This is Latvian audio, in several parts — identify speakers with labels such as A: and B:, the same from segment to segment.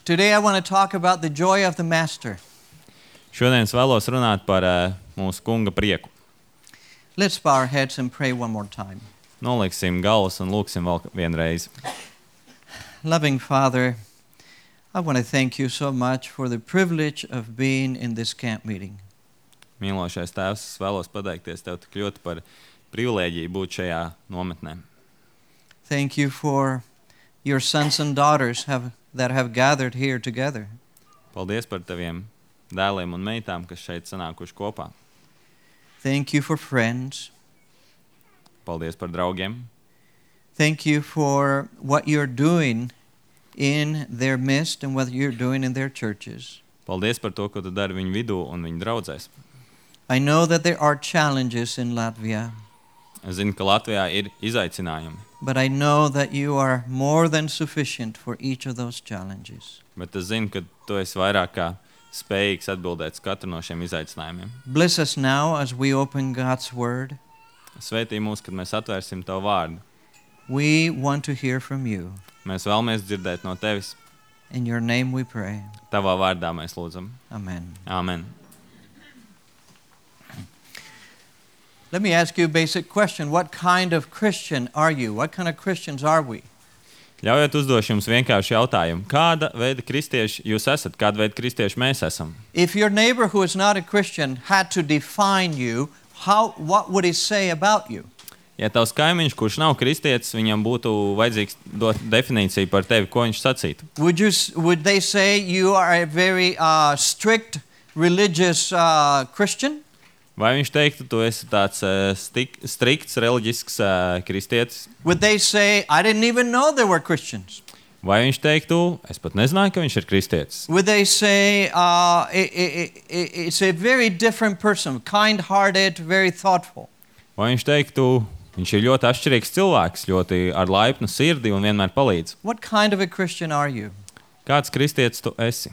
A: Today I want to talk about the joy of the Master.
B: Šodien es vēlos runāt par mūsu kunga prieku.
A: Let's bow our heads and pray one more time.
B: Noliksim galvas un lūksim vēl vienreiz.
A: Loving Father, I want to thank you so much for the privilege of being in this camp meeting.
B: Mīlošais Tēvs, es vēlos pateikties Tev tik ļoti par privilēģiju būt šajā nometnē.
A: Thank you for your sons and daughters that have gathered here together.
B: Paldies par Taviem dēliem un meitām, kas šeit sanākuši kopā.
A: Thank you for friends.
B: Paldies par draugiem.
A: Thank you for what you're doing in their midst and what you're doing in their churches.
B: Paldies par to, ko Tu dari viņu vidū un viņu draudzēs.
A: I know that there are challenges in Latvia,
B: Es zinu, ka Latvijā ir izaicinājumi,
A: but I know that you are more than sufficient for each of those challenges.
B: bet es zinu, ka Tu esi vairāk kā spējīgs atbildēt uz katru no šiem izaicinājumiem.
A: Bless us now as we open God's Word.
B: Svētī mūs, kad mēs atvērsim Tavu vārdu.
A: We want to hear from you.
B: Mēs vēlamies dzirdēt no Tevis.
A: In your name we pray.
B: Tavā vārdā mēs lūdzam.
A: Amen.
B: Āmen.
A: Let me ask you a basic question. What kind of Christian are you? What kind of Christians are we?
B: Ļaujiet uzdošu jums vienkārši jautājumu. Kāda veida kristieši jūs esat? Kāda veida kristieši mēs esam?
A: If your neighbor who is not a Christian had to define you, what would he say about you?
B: Ja tavs kaimiņš, kurš nav kristietis, viņam būtu vajadzīgs dot definīciju par tevi, ko viņš sacītu?
A: Would they say you are a very strict religious Christian?
B: Vai viņš teiktu, tu esi tāds strikts reliģisks kristietis?
A: Would they say, I didn't even know there were Christians?
B: Vai viņš teiktu, es pat nezināju, ka viņš ir kristietis?
A: Would they say, it's a very different person, kind-hearted, very thoughtful?
B: Vai viņš teiktu, viņš ir ļoti atšķirīgs cilvēks, ļoti ar laipnu sirdi un vienmēr palīdz?
A: What kind of a Christian are you?
B: Kāds kristietis tu esi?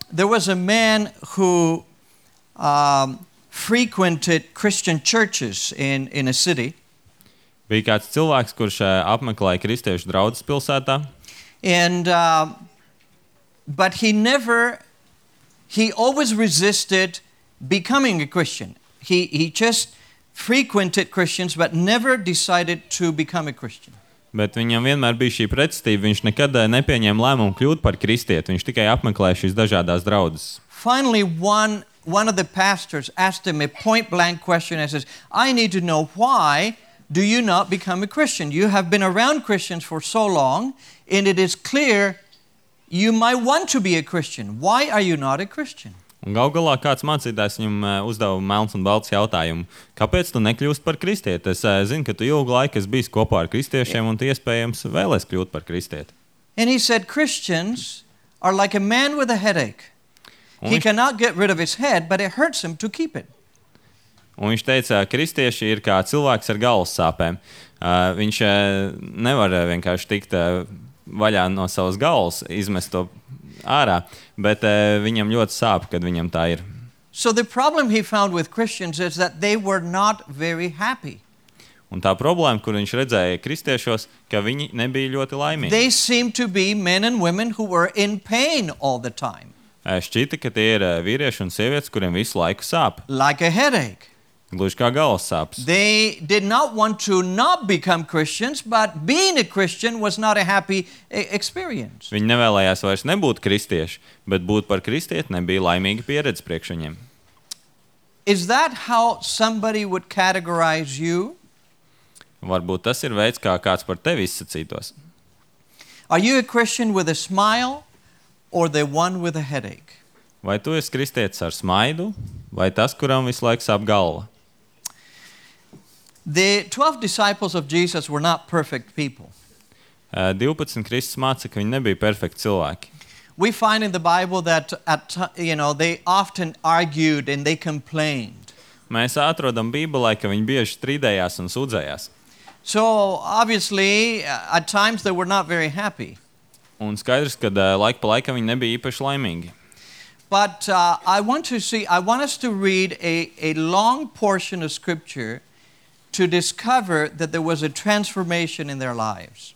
A: There was a man who frequented Christian churches in a city.
B: Bija kāds cilvēks, kurš apmeklēja kristiešu draudzes pilsētā.
A: And but he always resisted becoming a Christian. He just frequented Christians but never decided to become a Christian.
B: Bet viņam vienmēr bija šī pretestība. Viņš nekad nepieņēma lēmumu kļūt par kristieti. Viņš tikai apmeklēja šīs dažādās draudzes.
A: Finally, one of the pastors asked him a point-blank question and says, I need to know why do you not become a Christian? You have been around Christians for so long, and it is clear you might want to be a Christian. Why are you not a Christian?
B: Un gal galā kāds mācītājs viņam uzdeva melns un balts jautājumu. Kāpēc tu nekļūst par kristieti? Es zinu, ka tu ilgu laiku esi bijis kopā ar kristiešiem un tu iespējams vēlies kļūt par kristieti.
A: And he said, Christians are like a man with a headache. He cannot get rid of his head, but it hurts him to keep it.
B: Un viņš teica, kristieši ir kā cilvēks ar galvas sāpēm. Viņš nevar vienkārši tikt vaļā no savas galvas, izmest to ārā, bet viņam ļoti sāp, kad viņam tā ir.
A: So the problem he found with Christians is that they were not very happy.
B: Un tā problēma, kur viņš redzēja kristiešos, ka viņi nebija ļoti laimīgi.
A: They seemed to be men and women who were in pain all the time.
B: Šķita, ka tie ir vīrieši un sievietes, kuriem visu laiku sāp.
A: Like a headache.
B: Gluži kā galvas sāpes.
A: They did not want to not become Christians, but being a Christian was not a happy experience.
B: Viņi nevēlējās vairs nebūt kristieši, bet būt par kristieti nebija laimīga pieredze priekš viņiem.
A: Is that how somebody would categorize you?
B: Varbūt tas ir veids, kā kāds par tevi izsacītos.
A: Are you a Christian with a smile or the one with a headache?
B: Vai tu esi kristietis ar smaidu, vai tas, kuram visu laiku sāp galva?
A: The 12 disciples of Jesus were not perfect people.
B: 12 Kristus māca, ka viņi nebija perfekti cilvēki.
A: We find in the Bible that they often argued and they complained.
B: Mēs atrodam Bībelē, ka viņi bieži strīdējās un sūdzējās.
A: So obviously at times they were not very happy.
B: Un skaidrs, ka laika pa laikam viņi nebija īpaši laimīgi.
A: But I want us to read a long portion of Scripture to discover that there was a transformation in their lives.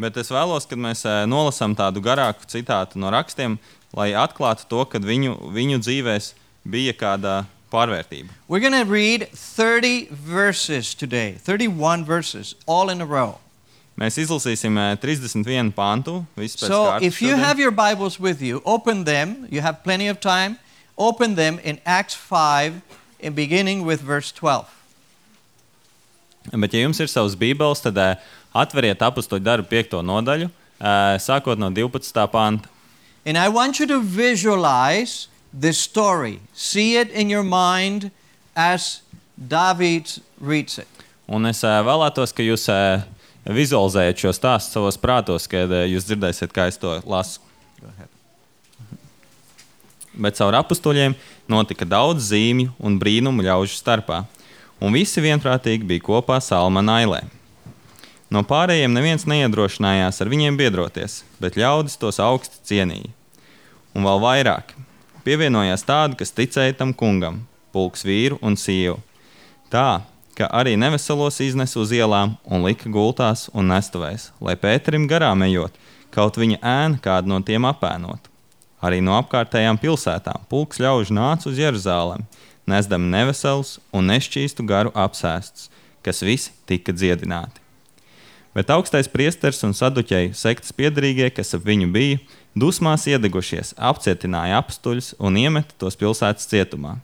B: Bet es vēlos, kad mēs nolasām tādu garāku citātu no rakstiem, lai atklātu to, ka viņu dzīvēs bija kāda pārvērtība.
A: We're going to read 30 verses today, 31 verses, all in a row.
B: Mēs izlasīsim 31 pantu, visu pēc
A: So
B: kārtas.
A: if you have your Bibles with you, open them. You have plenty of time. Open them in Acts 5, in beginning with verse 12.
B: Bet ja jums ir savas bībeles, tad atveriet Apustuļu darbu 5. nodaļu, sākot no 12. panta.
A: And I want you to visualize this story. See it in your mind as David reads it.
B: Un es vēlētos, ka jūs vizualizējat šo stāstu savos prātos, kad jūs dzirdēsiet, kā es to lasu. Bet caur apustuļiem notika daudz zīmju un brīnumu ļaužu starpā, un visi vienprātīgi bija kopā Salmana ailē. No pārējiem neviens neiedrošinājās ar viņiem biedroties, bet ļaudis tos augsti cienīja. Un vēl vairāk pievienojās tādi, kas ticēja tam kungam, pulks vīru un sievu. Tā, ka arī neveselos iznes uz ielām un lika gultās un nestuvēs, lai Pēterim garām ejot, kaut viņa ēna kādu no tiem apēnot. Arī no apkārtējām pilsētām pulks ļaužu nāca uz Jeruzālemi, nesdami neveselus un nešķīstu garu apsēstus, kas visi tika dziedināti. Bet augstais priesteris un saduķeju sektas piederīgie, kas ap viņu bija, dusmās iedegušies, apcietināja apustuļus un iemeta tos pilsētas cietumā.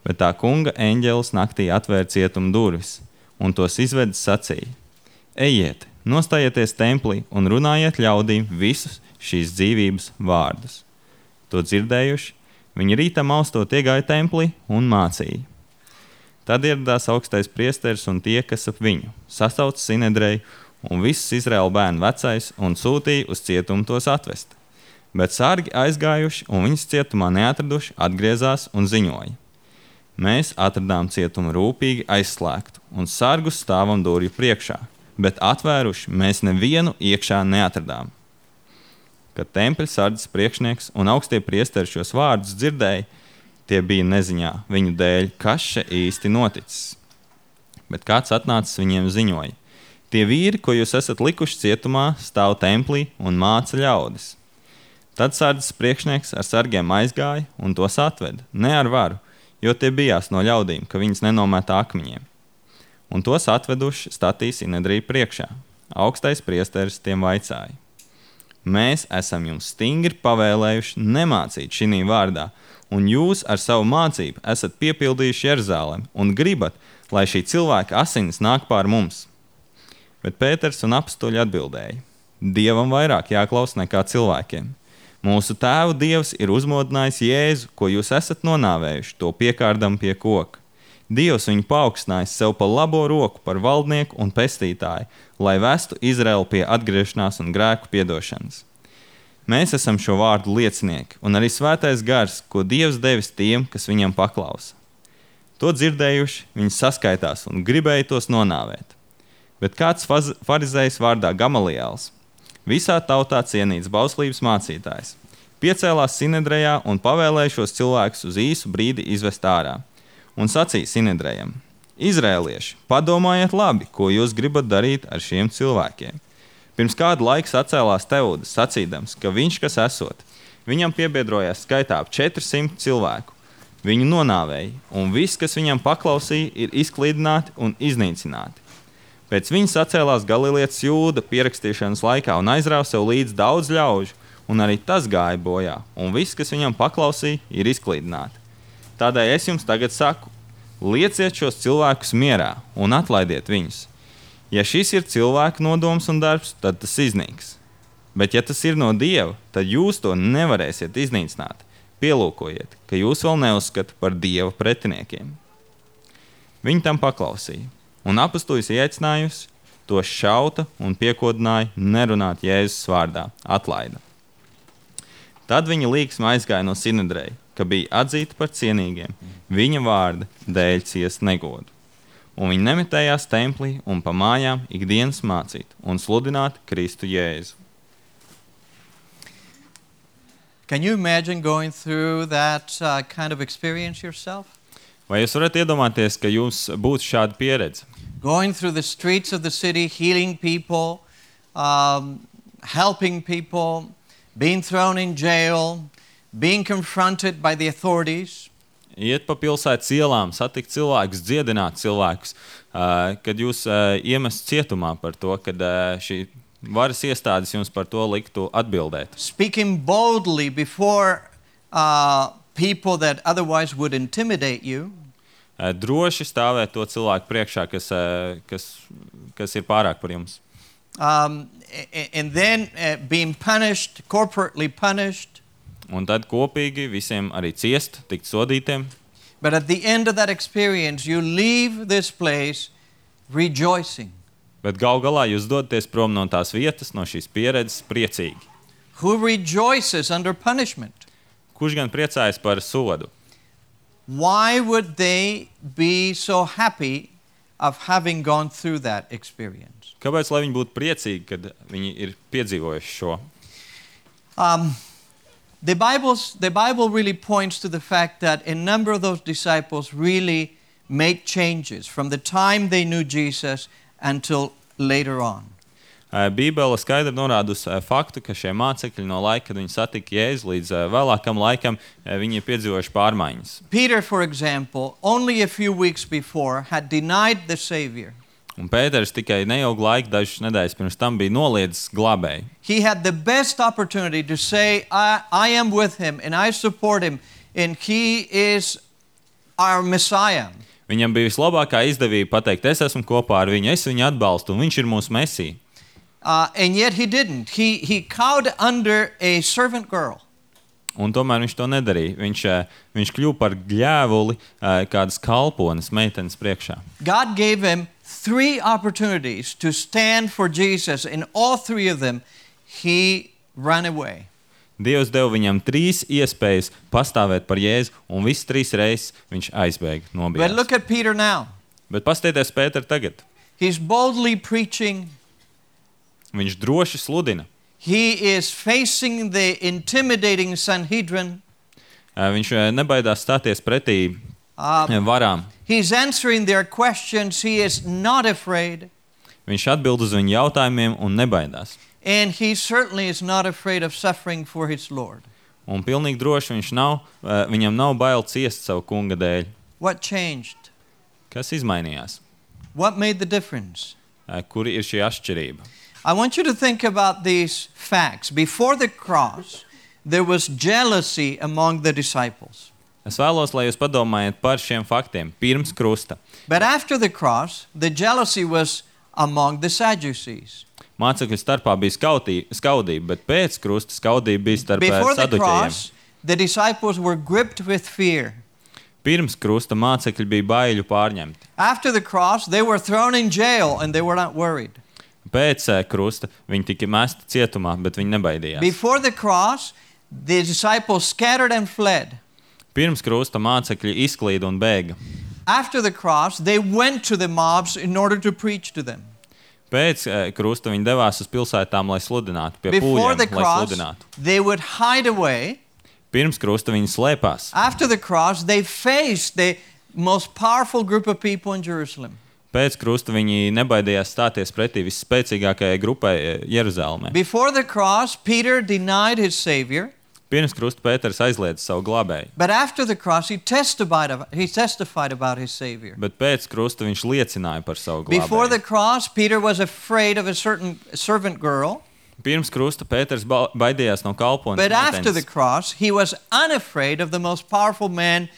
B: Bet tā kunga eņģelis naktī atvēra cietuma durvis, un tos izvedis sacīja: Ejiet, nostājieties templī un runājiet ļaudīm visus šīs dzīvības vārdus. To dzirdējuši, viņi rītā maustot iegāja templī un mācīja. Tad ieradās augstais priesteris un tie, kas ap viņu, sasauca Sinedreju un visus Izraēla bērnu vecais un sūtīja uz cietumu tos atvest. Bet sargi aizgājuši un viņus cietumā neatraduši, atgriezās un ziņoja: Mēs atradām cietumu rūpīgi aizslēgtu un sargus stāvam durvju priekšā, bet atvēruši mēs nevienu iekšā neatradām. Kad tempļa sardzes priekšnieks un augstie priesteri šos vārdus dzirdēja, tie bija neziņā viņu dēļ, kas še īsti noticis. Bet kāds atnācis viņiem ziņoja: Tie vīri, ko jūs esat likuši cietumā, stāv templī un māca ļaudis. Tad sardzes priekšnieks ar sargiem aizgāja un tos atveda, ne ar varu, jo tie bijās no ļaudīm, ka viņas nenomētā akmeņiem. Un tos atveduši statīja Sinedriju priekšā. Augstais priesteris tiem vaicāja: Mēs esam jums stingri pavēlējuši nemācīt šinī vārdā, un jūs ar savu mācību esat piepildījuši Jeruzālemi un gribat, lai šī cilvēka asinis nāk pār mums. Bet Pēters un apustuļi atbildēja: Dievam vairāk jāklaus nekā cilvēkiem. Mūsu tēvu Dievs ir uzmodinājis Jēzu, ko jūs esat nonāvējuši, to piekārdam pie koka. Dievs viņu paaugstinājis sev pa labo roku par valdnieku un pestītāju, lai vestu Izraelu pie atgriešanās un grēku piedošanas. Mēs esam šo vārdu liecinieki, un arī svētais gars, ko Dievs devis tiem, kas viņam paklausa. To dzirdējuši, viņi saskaitās un gribēja tos nonāvēt. Bet kāds farizējs vārdā Gamaliels, visā tautā cienīts bauslības mācītājs, piecēlās Sinedrejā un pavēlēja šos cilvēkus uz īsu brīdi izvest ārā. Un sacīja Sinedrejam: Izrēlieši, padomājiet labi, ko jūs gribat darīt ar šiem cilvēkiem. Pirms kādu laiku sacēlās Teudas, sacīdams, ka viņš, kas esot, viņam piebiedrojās skaitā ap 400 cilvēku. Viņu nonāvēja, un viss, kas viņam paklausīja, ir izklīdināti un iznīcināti. Pēc viņa sacēlās Galilietis Jūda pierakstīšanas laikā un aizrāva sev līdz daudz ļaužu, un arī tas gāja bojā, un viss, kas viņam paklausīja, ir izklīdināti. Tādēļ es jums tagad saku: lieciet šos cilvēkus mierā un atlaidiet viņus. Ja šis ir cilvēka nodoms un darbs, tad tas iznīks. Bet ja tas ir no Dieva, tad jūs to nevarēsiet iznīcināt. Pielūkojiet, ka jūs vēl neuzskata par Dieva pretiniekiem. Viņi tam paklausīja, un apustuļus ieaicinājusi, tos šauta un piekodināja nerunāt Jēzus vārdā, atlaida. Tad viņa līksma aizgāja no Sinedreja, ka bija atzīta par cienīgiem, viņa vārda dēļ ciest negodu. Un viņi nemetējās templī un pa mājām ikdienas mācīt un sludināt Kristu Jēzu.
A: Can you imagine going through that kind of experience yourself?
B: Vai jūs varat iedomāties, ka jums būtu šāda pieredze?
A: Going through the streets of the city, healing people, helping people, being thrown in jail, being confronted by the authorities.
B: Iet pa pilsētas ielām, satikt cilvēkus, dziedināt cilvēkus, kad jūs iemest cietumā par to, kad šī varas iestādes jums par to liktu atbildēt.
A: Speaking boldly before people that otherwise would intimidate you.
B: Droši stāvēt to cilvēku priekšā, kas ir pārāk par jums.
A: And then being punished, corporately punished.
B: Un tad kopīgi visiem arī ciest, tikt sodītiem.
A: But at the end of that experience, you leave this place rejoicing.
B: Bet gal galā jūs dodaties prom no tās vietas, no šīs pieredzes priecīgi.
A: Who rejoices under punishment?
B: Kurš gan priecājas par sodu?
A: Why would they be so happy of having gone through that experience?
B: Kāpēc, lai viņi būtu priecīgi, kad viņi ir piedzīvojuši šo?
A: The Bible really points to the fact that a number of those disciples really make changes from the time they knew Jesus until later on.
B: Bībele skaidri norāda uz faktu, ka šie mācekļi no laika, kad viņi satika Jēzu, līdz vēlākam laikam, viņi ir piedzīvojuši pārmaiņas.
A: Peter, for example, only a few weeks before had denied the Savior.
B: Un Pēters tikai neilgu laiku, dažas nedēļas pirms tam bija noliedzis glābēju.
A: He had the best opportunity to say, I am with him and I support him and he is our Messiah.
B: Viņam bija vislabākā izdevība pateikt, es esmu kopā ar viņu, es viņu atbalstu un viņš ir mūsu Mesija.
A: And yet he didn't. He cowed under a servant girl.
B: Un tomēr viņš to nedarīja. Viņš kļuva par gļēvuli kādas kalpones meitenes priekšā.
A: God gave him 3 opportunities to stand for Jesus. In all 3 of them, he ran away.
B: Dievs deva viņam 3 iespējas pastāvēt par Jēzu, un visas 3 reizes viņš aizbēga, nobijās.
A: But look at Peter now.
B: Bet pastieties Pēteru tagad.
A: He's boldly preaching.
B: Viņš droši sludina.
A: He is facing the intimidating Sanhedrin.
B: Viņš nebaidās stāties pretī varām.
A: He's answering their questions. He is not afraid.
B: Viņš atbild uz viņu jautājumiem un nebaidās.
A: And he certainly is not afraid of suffering for his Lord.
B: Un pilnīgi droši viņam nav bail ciest savu kunga dēļ.
A: What changed?
B: Kas izmainījās?
A: What made the difference?
B: Kur ir šī atšķirība?
A: I want you to think about these facts. Before the cross, there was jealousy among the disciples.
B: Es vēlos, lai jūs padomājat par šiem faktiem pirms krusta.
A: But after the cross, the jealousy was among the Sadducees.
B: Mācekļu starpā bija skaudība, bet pēc krusta skaudība bija starp
A: Before the
B: saduķējiem.
A: cross, the disciples were gripped with fear.
B: Pirms krusta mācekļi bija baiļu pārņemti.
A: After the cross, they were thrown in jail and they were not worried.
B: Pēc krusta viņi tika mesti cietumā, bet viņi nebaidījās.
A: Before the cross, the disciples scattered and fled.
B: Pirms krusta mācekļi izklīda un bēga.
A: After the cross, they went to the mobs in order to preach to them.
B: Pēc krusta viņi devās uz pilsētām, lai sludinātu, pie
A: Before the
B: pūļiem, lai
A: cross,
B: sludinātu.
A: they would hide away.
B: Pirms krusta viņi slēpās.
A: After the cross, they faced the most powerful group of people in Jerusalem.
B: Pēc krusta viņi nebaidījās stāties pretī visspēcīgākajai grupai Jeruzalemē.
A: Before the cross, Peter denied his Savior.
B: Pirms krusta Pēters aizliedza savu glābēju.
A: But after the cross, he testified about his Savior.
B: Bet pēc krusta viņš liecināja par savu
A: Before the
B: glābēju.
A: cross, Peter was afraid of a certain servant girl.
B: Pirms krusta Pēters baidījās no kalpones
A: But after the
B: meitenes.
A: cross, he was unafraid of the most powerful man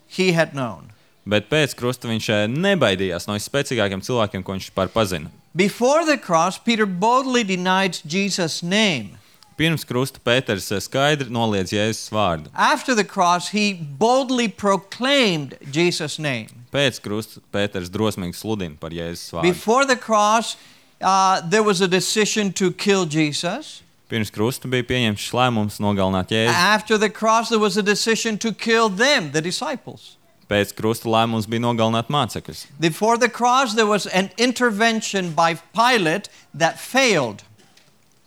A: he had known.
B: Bet pēc krusta viņš nebaidījās no visspēcīgākiem cilvēkiem, ko viņš par pazina.
A: Before the cross, Peter boldly denied Jesus' name.
B: Pirms krusta Pēters skaidri noliedz Jēzus vārdu.
A: After the cross, he boldly proclaimed Jesus' name.
B: Pēc krusta Pēters drosmīgi sludina par Jēzus vārdu.
A: Before the cross, there was a decision to kill Jesus.
B: Pirms krusta bija pieņemts lēmums nogalināt Jēzu.
A: After the cross, there was a decision to kill them, the disciples.
B: Pēc krusta lēmums bija nogalināt mācekļus.
A: Before the cross, there was an intervention by Pilate that failed.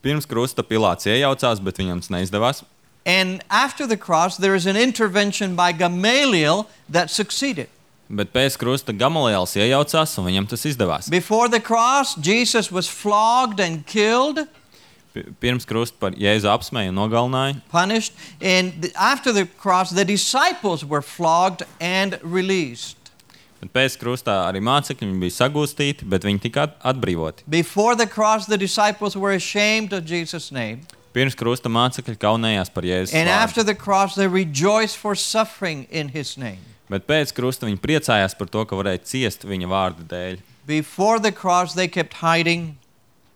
B: Pirms krusta Pilāts iejaucās, bet viņam tas neizdevās.
A: And after the cross, there is an intervention by Gamaliel that succeeded.
B: Bet pēc krusta Gamaliels iejaucās, un viņam tas izdevās.
A: Before the cross, Jesus was flogged and killed,
B: Pirms krusta par Jēzu apsmēja un nogalināja.
A: punished, and after the cross, the disciples were flogged and released.
B: Bet pēc krustā arī mācekļi viņi bija sagūstīti, bet viņi tika atbrīvoti.
A: Before the cross, the disciples were ashamed of Jesus' name.
B: Pirms krusta mācekļi kaunējās par Jēzus
A: And after
B: vārdu.
A: the cross, they rejoiced for suffering in his name.
B: Bet pēc krusta viņi priecājās par to, ka varēja ciest viņa vārda dēļ.
A: Before the cross, they kept hiding.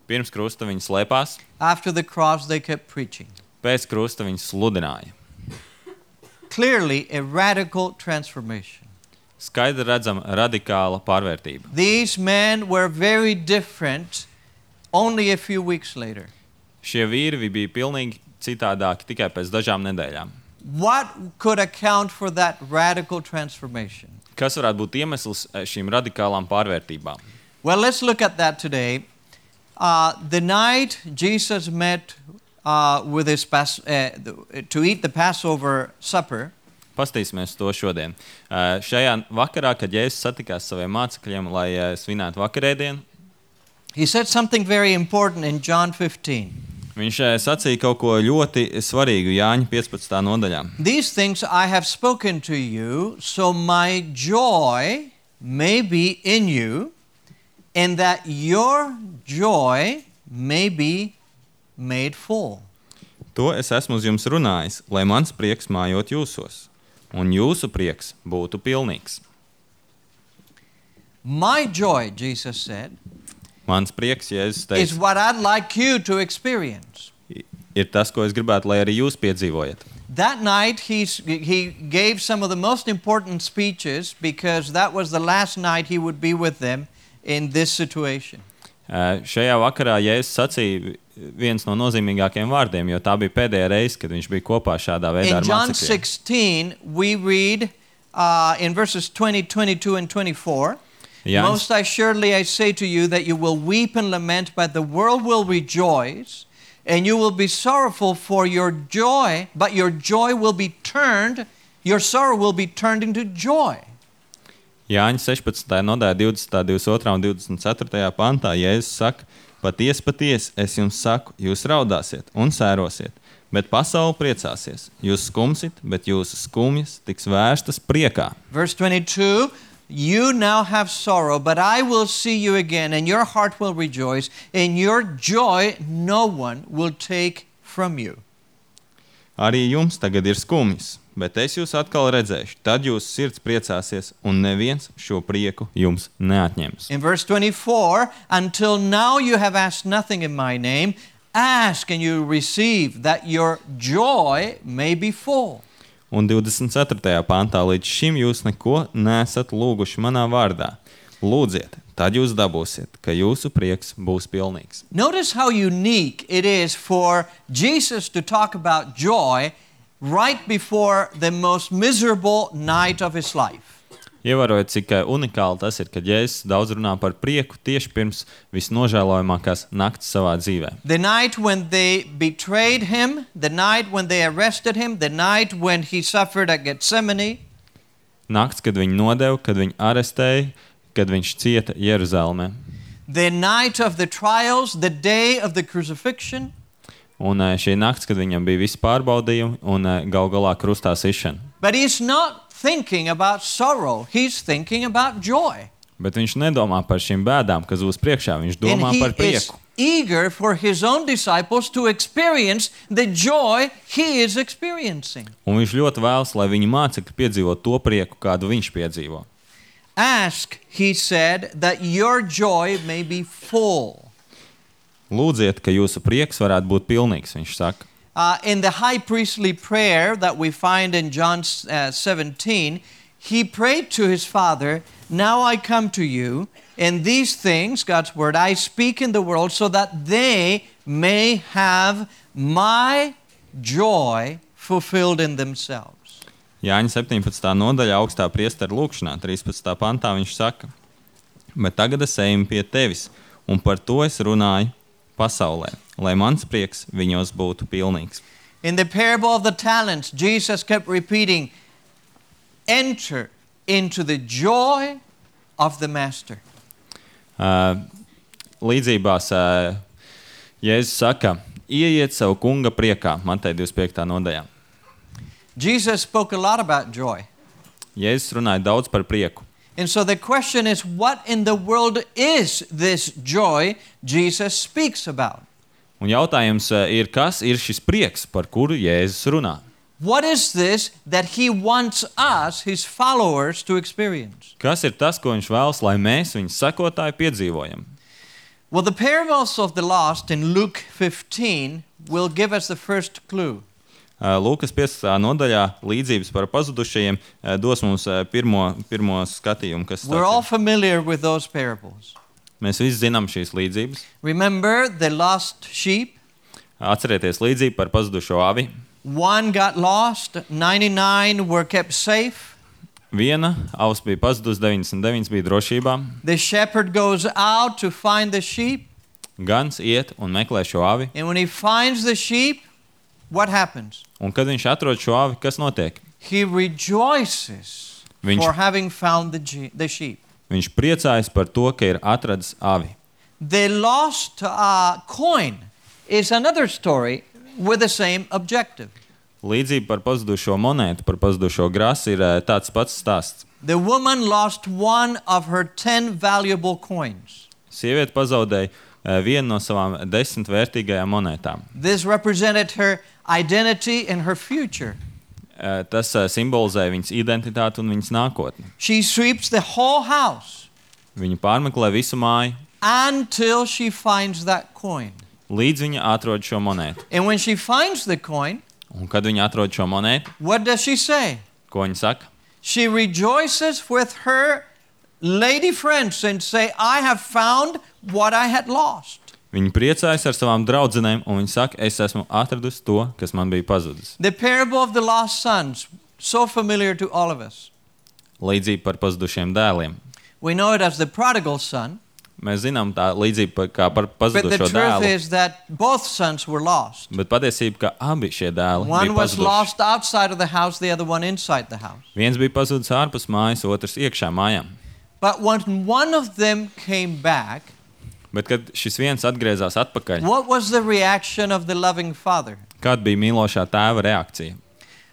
B: Pirms krusta viņi slēpās,
A: After the cross, they kept preaching.
B: pēc krusta viņi sludināja.
A: Clearly, a radical transformation.
B: Skaidri redzama radikāla pārvērtība.
A: These men were very different only a few weeks later.
B: Šie vīri bija pilnīgi citādāki tikai pēc dažām nedēļām.
A: What could account for that radical transformation?
B: Kas varētu būt iemesls šīm radikālām pārvērtībām?
A: Well, let's look at that today. The night Jesus met with his to eat the Passover supper,
B: Pastīsimies to šodien. Šajā vakarā, kad Jēzus satikās saviem mācekļiem, lai svinētu vakarēdienu,
A: he said something very important in John 15.
B: viņš sacīja kaut ko ļoti svarīgu Jāņa 15. nodaļā.
A: These things I have spoken to you, so my joy may be in you, and that your joy may be made full.
B: To es esmu uz jums runājis, lai mans prieks mājot jūsos, un jūsu prieks būtu pilnīgs.
A: My joy, Jesus said,
B: Mans prieks, Jēzus
A: is
B: teica,
A: what I'd like you to experience.
B: ir tas, ko es gribētu, lai arī jūs piedzīvojat.
A: That night, he gave some of the most important speeches because that was the last night he would be with them in this situation.
B: Šajā vakarā Jēzus sacīja viens no nozīmīgākajiem vārdiem, jo tā bija pēdējā reize, kad viņš bija kopā šādā veidā
A: In
B: ar
A: John
B: mācekļiem.
A: 16, we read in verses 20, 22, and 24,
B: Jānis,
A: Most assuredly I say to you that you will weep and lament, but the world will rejoice, and you will be sorrowful for your joy, but your sorrow will be turned into joy.
B: Jāņa 16. nodaļā 20., 22. un 24. pantā Jēzus saka, patiesi, es jums saku, jūs raudāsiet un sērosiet, bet pasaule priecāsies. Jūs skumsit, bet jūsu skumjas tiks vērstas priekā.
A: Verse 22, you now have sorrow, but I will see you again, and your heart will rejoice, and your joy no one will take from you.
B: Arī jums tagad ir skumjas, bet es jūs atkal redzēšu, tad jūsu sirds priecāsies, un neviens šo prieku jums neatņems.
A: In verse 24, until now you have asked nothing in my name, ask and you receive, that your joy may be full.
B: Un 24. pantā līdz šim jūs neko nesat lūguši manā vārdā. Lūdziet, tad jūs dabūsiet, ka jūsu prieks būs pilnīgs.
A: Notice how unique it is for Jesus to talk about joy right before the most miserable night of his life.
B: Ievērojot, cik unikāli tas ir, kad Jēzus daudz runā par prieku tieši pirms visnožēlojamākās nakts savā dzīvē.
A: The night when they betrayed him, the night when they arrested him, the night when he suffered at Gethsemane,
B: Nakts, kad viņu nodeva, kad viņu arestēja, kad viņš cieta Jeruzalemē.
A: the night of the trials, the day of the crucifixion,
B: Un šī nakts, kad viņam bija visi pārbaudījumi un gal galā krustā sišana.
A: but he's not thinking about sorrow, he's thinking about joy.
B: Bet viņš nedomā par šīm bēdām, kas būs priekšā, viņš
A: And
B: domā
A: he
B: par
A: is
B: prieku.
A: eager for his own disciples to experience the joy he is experiencing.
B: Un viņš ļoti vēlas, lai viņa mācekļi piedzīvo to prieku, kādu viņš piedzīvo.
A: Ask, he said, that your joy may be full.
B: Lūdziet, ka jūsu prieks varētu būt pilnīgs, viņš saka.
A: In the high priestly prayer that we find in John 17, he prayed to his Father, now I come to you, and these things, God's word, I speak in the world so that they may have my joy fulfilled in themselves.
B: Jāņa 17. nodaļā augstā priestera lūkšanā, 13. pantā viņš saka, bet tagad es eju pie tevis, un par to es runāju pasaulē, lai mans prieks viņos būtu pilnīgs.
A: In the parable of the talents, Jesus kept repeating, enter into the joy of the master.
B: Līdzībās Jēzus saka, ieiet savu kunga priekā, Mateja 25. nodaļā.
A: Jesus spoke a lot about joy.
B: Jēzus runāja daudz par prieku.
A: And so the question is, what in the world is this joy Jesus speaks about?
B: Un jautājums ir, kas ir šis prieks, par kuru Jēzus runā?
A: What is this that he wants us, his followers, to experience?
B: Kas ir tas, ko viņš vēlas, lai mēs, viņa sekotāji, piedzīvojam?
A: Well, the parables of the lost in Luke 15 will give us the first clue.
B: Lūkas 15. nodaļā līdzības par pazudušajiem dos mums pirmo skatījumu, kas
A: We're all
B: tāds ir.
A: familiar with those parables.
B: Mēs visi zinām šīs līdzības.
A: Remember the lost sheep?
B: Atcerieties līdzību par pazudušo avi.
A: One got lost, 99 were kept safe.
B: Viena avs bija pazudusi, 99 bija drošībā.
A: The shepherd goes out to find the sheep,
B: Gans iet un meklē šo avi.
A: and when he finds the sheep, what happens?
B: Un kad viņš atrod šo avi, kas notiek?
A: He rejoices
B: Viņš-
A: for having found the sheep.
B: Viņš priecājas par to, ka ir atradis avi.
A: The lost coin is another story with the same objective.
B: Līdzība par pazudušo monētu, par pazudušo grasi ir tāds pats stāsts.
A: The woman lost one of her 10 valuable coins.
B: Sieviete pazaudēja vienu no savām 10 vērtīgajām monētām.
A: This represented her identity and her future.
B: Tas simbolizē viņas identitāti un viņas nākotni.
A: She sweeps the whole house
B: Viņa pārmeklē visu māju,
A: until she finds that coin.
B: līdz viņa atrod šo monētu.
A: And when she finds the coin,
B: Un kad viņa atrod šo monētu,
A: what does she say?
B: ko viņa saka?
A: She rejoices with her lady friends and say, I have found what I had lost.
B: Viņa priecājas ar savām draudzenēm un viņa saka, es esmu atradusi to, kas man bija pazudis.
A: The parable of the lost sons, so familiar to all of us.
B: Līdzība par pazudušiem dēliem.
A: We know it as the prodigal son,
B: Mēs zinām tā līdzība kā par
A: but the
B: pazudušo
A: truth
B: dēlu,
A: is that both sons were lost.
B: bet patiesība, ka abi šie dēli
A: One
B: bija
A: was
B: pazuduši.
A: lost outside of the house, the other one inside the house.
B: Viens bija pazudis ārpus mājas, otrs iekšā mājām.
A: But when one of them came back,
B: Bet kad šis viens atgriezās atpakaļ,
A: what was the reaction of the loving father?
B: kāda bija mīlošā tēva reakcija?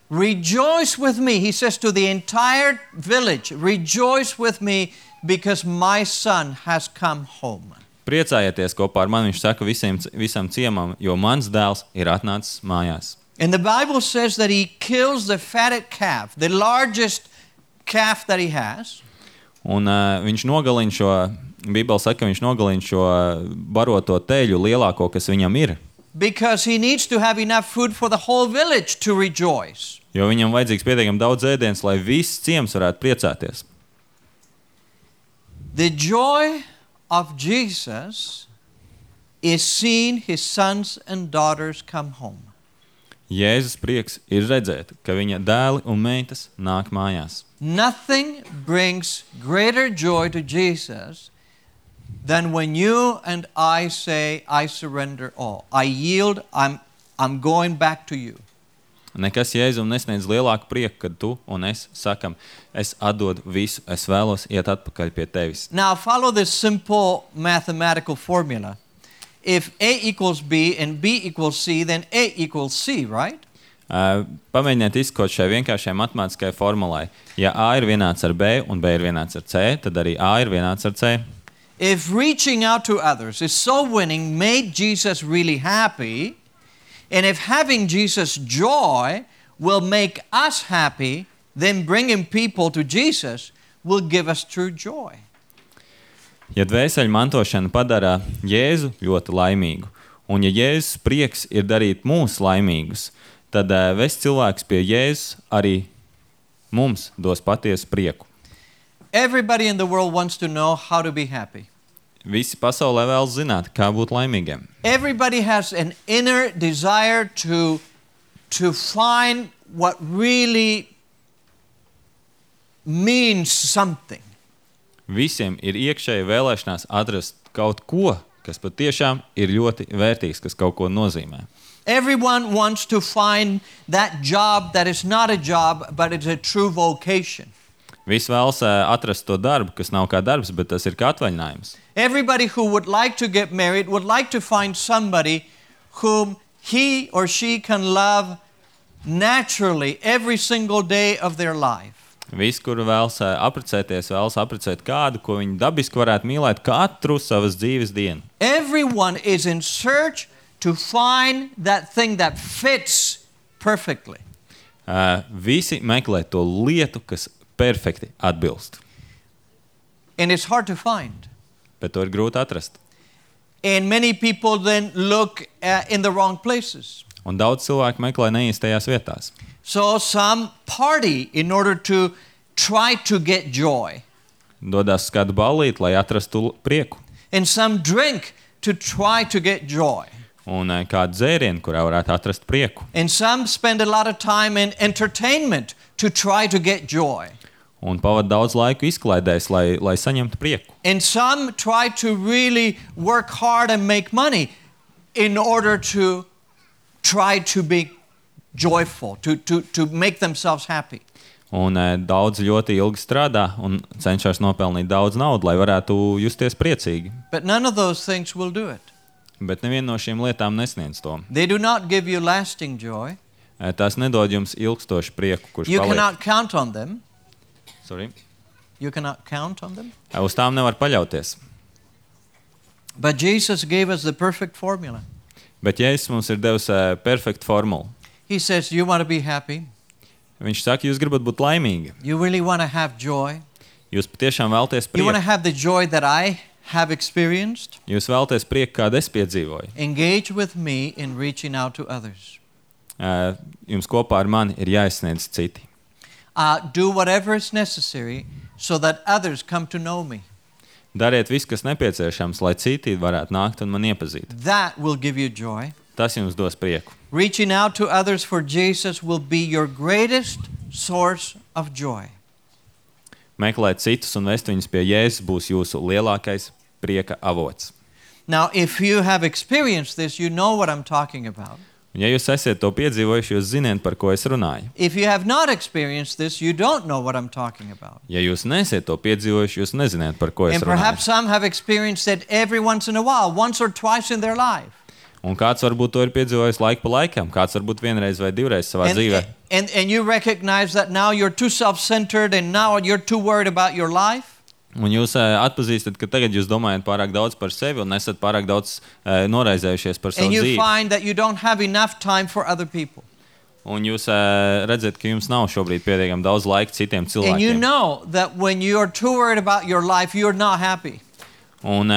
A: Rejoice with me, he says to the entire village, rejoice with me because my son has come home.
B: Priecājieties kopā ar mani, viņš saka visam ciemam, jo mans dēls ir atnācis mājās.
A: And the Bible says that he kills the fatted calf, the largest calf that he has.
B: Un viņš nogalina šo, Bībele saka, ka viņš nogalina šo baroto teļu lielāko, kas viņam ir.
A: Because he needs to have enough food for the whole village to rejoice.
B: Jo viņam vajadzīgs pietiekami daudz ēdienas, lai viss ciems varētu priecāties.
A: The joy of Jesus is seeing his sons and daughters come home.
B: Jēzus prieks ir redzēt, ka viņa dēli un meitas nāk mājās.
A: Nothing brings greater joy to Jesus than when you and I say, I surrender all. I yield, I'm going back to you.
B: Nekas Jēzum nesniedz lielāku prieku, kad tu un es sakam, es atdodu visu, es vēlos iet atpakaļ pie tevis.
A: Now follow this simple mathematical formula. If A equals B and B equals C, then A equals C, right?
B: Pamēģiniet izskot šai vienkāršai matemātiskai formulai. Ja A ir vienāds ar B un B ir vienāds ar C, tad arī A ir vienāds ar C.
A: If reaching out to others is so winning made Jesus really happy, and if having Jesus' joy will make us happy, then bringing people to Jesus will give us true joy.
B: Ja dvēseļu mantošana padara Jēzu ļoti laimīgu, un ja Jēzus prieks ir darīt mūs laimīgus, tad vest cilvēks pie Jēzus arī mums dos patiesu prieku.
A: Everybody in the world wants to know how to be happy.
B: Visi pasaulē vēlas zināt, kā būt laimīgiem.
A: Everybody has an inner desire to find what really means something.
B: Visiem ir iekšēji vēlēšanās atrast kaut ko, kas patiešām ir ļoti vērtīgs, kas kaut ko nozīmē.
A: Everyone wants to find that job that is not a job, but it's a true vocation.
B: Visi vēlas atrast to darbu, kas nav kā darbs, bet tas ir kā atvaļinājums.
A: Everybody who would like to get married would like to find somebody whom he or she can love naturally every single day of their life.
B: Visi, kuri vēlas apprecēties, vēlas apprecēt kādu, ko viņi dabiski varētu mīlēt katru savas dzīves dienu.
A: Everyone is in search to find that thing that fits perfectly.
B: Visi meklē to lietu, kas perfekti atbilst.
A: And it's hard to find.
B: Bet to ir grūti atrast.
A: And many people then look in the wrong places.
B: Un daudz cilvēku meklē neīstajās vietās.
A: So some party in order to try to get joy.
B: Dodas uz kādu ballīti, lai atrastu prieku.
A: And some drink to try to get joy.
B: Un kādu dzērienu, kurā varētu atrast prieku.
A: And some spend a lot of time in entertainment to try to get joy.
B: Un pavada daudz laiku izklaidēs, lai saņemtu prieku.
A: And some try to really work hard and make money in order to try to be joyful, to make themselves happy.
B: Un daudz ļoti ilgi strādā un cenšas nopelnīt daudz naudu, lai varētu justies priecīgi.
A: But none of those things will do it.
B: Bet neviena no šīm lietām nesniedz to.
A: They do not give you lasting joy.
B: Tās nedod jums ilgstošu prieku, kurš
A: You
B: paliek.
A: cannot count on them.
B: Sorry.
A: You cannot count on them.
B: Uz tām nevar paļauties.
A: But Jesus gave us the perfect formula.
B: Bet Jēzus mums ir devis perfektu formulu.
A: He says, you want to be happy.
B: Viņš saka, jūs gribat būt laimīgi.
A: You really want to have joy.
B: Jūs patiešām vēlaties
A: You want to
B: prieku.
A: have the joy that I have experienced.
B: Jūs vēlaties prieku, kādu es piedzīvoju.
A: Engage with me in reaching out to others.
B: Jums kopā ar mani ir jāizsniedz citi.
A: Do whatever is necessary so that others come to know me.
B: Dariet visu, kas nepieciešams, lai citi varētu nākt un man iepazīt.
A: That will give you joy.
B: Tas jums dos prieku.
A: Reaching out to others for Jesus will be your greatest source of joy.
B: Meklēt citus un vest viņus pie Jēzus būs jūsu lielākais prieka avots.
A: Now, if you have experienced this, you know what I'm talking about.
B: Un ja jūs esat to piedzīvojuši, jūs zināt, par ko es runāju.
A: If you have not experienced this, you don't know what I'm talking about.
B: Ja jūs nesat to piedzīvojuši, jūs nezināt, par ko es
A: And perhaps
B: runāju.
A: some have experienced it every once in a while, once or twice in their life.
B: Un kāds varbūt to ir piedzīvojis laiku pa laikam, kāds varbūt vienreiz vai divreiz savā dzīvē.
A: And you recognize that now you're too self-centered and now you're too worried about your life.
B: Un jūs atpazīstat, ka tagad jūs domājat pārāk daudz par sevi un esat pārāk daudz noraizējušies par savu
A: And you
B: dzīvi.
A: find that you don't have enough time for other people.
B: Un jūs redzat, ka jums nav šobrīd pietiekami daudz laika citiem
A: And you
B: cilvēkiem.
A: know that when you're too worried about your life, you're not happy.
B: Un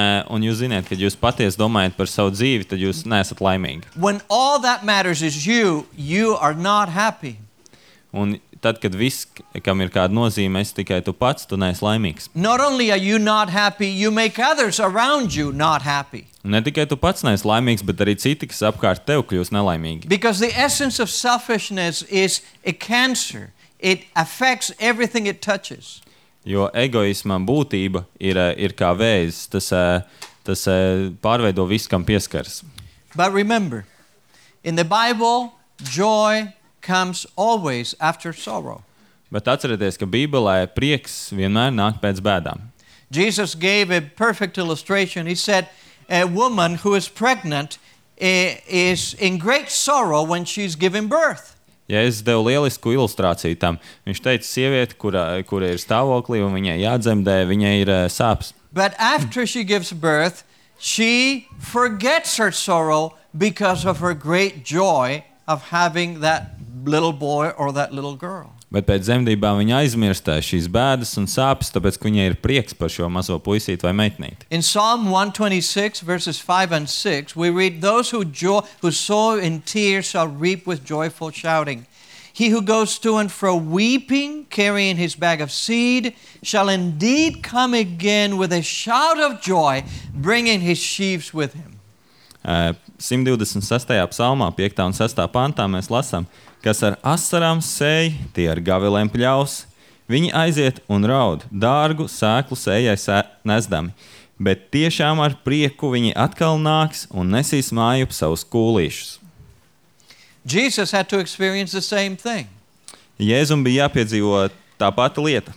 B: jūs zināt, ka jūs patiesi domājat par savu dzīvi, tad jūs neesat laimīgi.
A: When all that matters is you, you are not happy.
B: Un tad, kad viss, kam ir kāda nozīme, esi tikai tu pats, tu neesi laimīgs.
A: Not only are you not happy, you make others around you not happy.
B: Un ne tikai tu pats neesi laimīgs, bet arī citi, kas apkārt tev kļūst nelaimīgi.
A: Because the essence of selfishness is a cancer. It affects everything it touches.
B: Jo egoisma būtība ir kā vēzis, tas pārveido visu, kam pieskaras.
A: But remember, in the Bible, joy comes always after sorrow.
B: Bet atcerieties, ka Bībelē prieks vienmēr nāk pēc bēdām.
A: Jesus gave a perfect illustration. He said, a woman who is pregnant is in great sorrow when she's giving birth.
B: Ja es devu lielisku ilustrāciju tam, viņš teica, sieviete, kura ir stāvoklī un viņai jādzemdē, viņai ir sāpes.
A: But after she gives birth, she forgets her sorrow because of her great joy of having that little boy or that little girl.
B: Bet pēc dzemdībām viņa aizmirst šīs bēdas un sāpes, tāpēc, ka viņai ir prieks par šo mazo puisīti vai meitnīti.
A: In Psalm 126, verses 5 and 6, we read, those who sow in tears shall reap with joyful shouting. He who goes to and fro weeping, carrying his bag of seed, shall indeed come again with a shout of joy, bringing his sheaves with him.
B: 126. psalmā, 5. un 6. pantā mēs lasām, kas ar asarām sēj, tie ar gavilēm pļaus. Viņi aiziet un raud, dārgu sēklu sējai nesdami, bet tiešām ar prieku viņi atkal nāks un nesīs mājup savus kūlīšus.
A: Jesus had to experience the same thing.
B: Jēzum bija jāpiedzīvo tā pati lieta.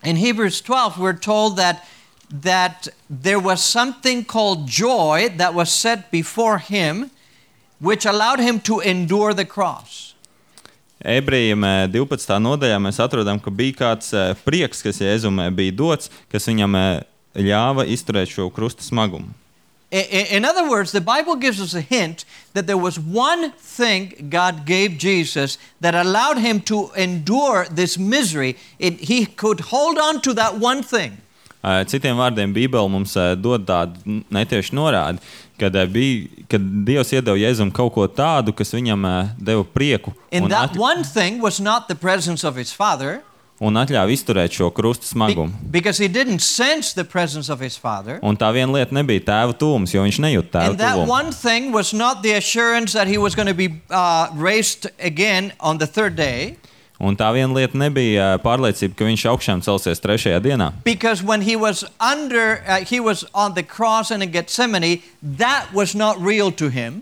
A: In Hebrews 12, we're told that there was something called joy that was set before him, which allowed him to endure the cross.
B: Ebrejiem 12. nodaļā mēs atrodam, ka bija kāds prieks, kas Jēzum bija dots, kas viņam ļāva izturēt šo krusta smagumu.
A: In other words, the Bible gives us a hint that there was one thing God gave Jesus that allowed him to endure this misery. He could hold on to that one thing.
B: Citiem vārdiem, Bībele mums dod tādu netieši norādi, kad Dievs iedeva Jēzum kaut ko tādu, kas viņam deva prieku
A: And that one thing was not the presence of his Father,
B: un atļāva izturēt šo krusta smagumu.
A: because he didn't sense the presence of his Father.
B: Un tā viena lieta nebija tēva tuvums, jo viņš nejūt tēva
A: And that
B: tuvumu.
A: one thing was not the assurance that he was going to be raised again on the third day.
B: Un tā viena lieta nebija pārliecība, ka viņš augšām celsies trešajā dienā.
A: Because when he was on the cross and in Gethsemane, that was not real to him.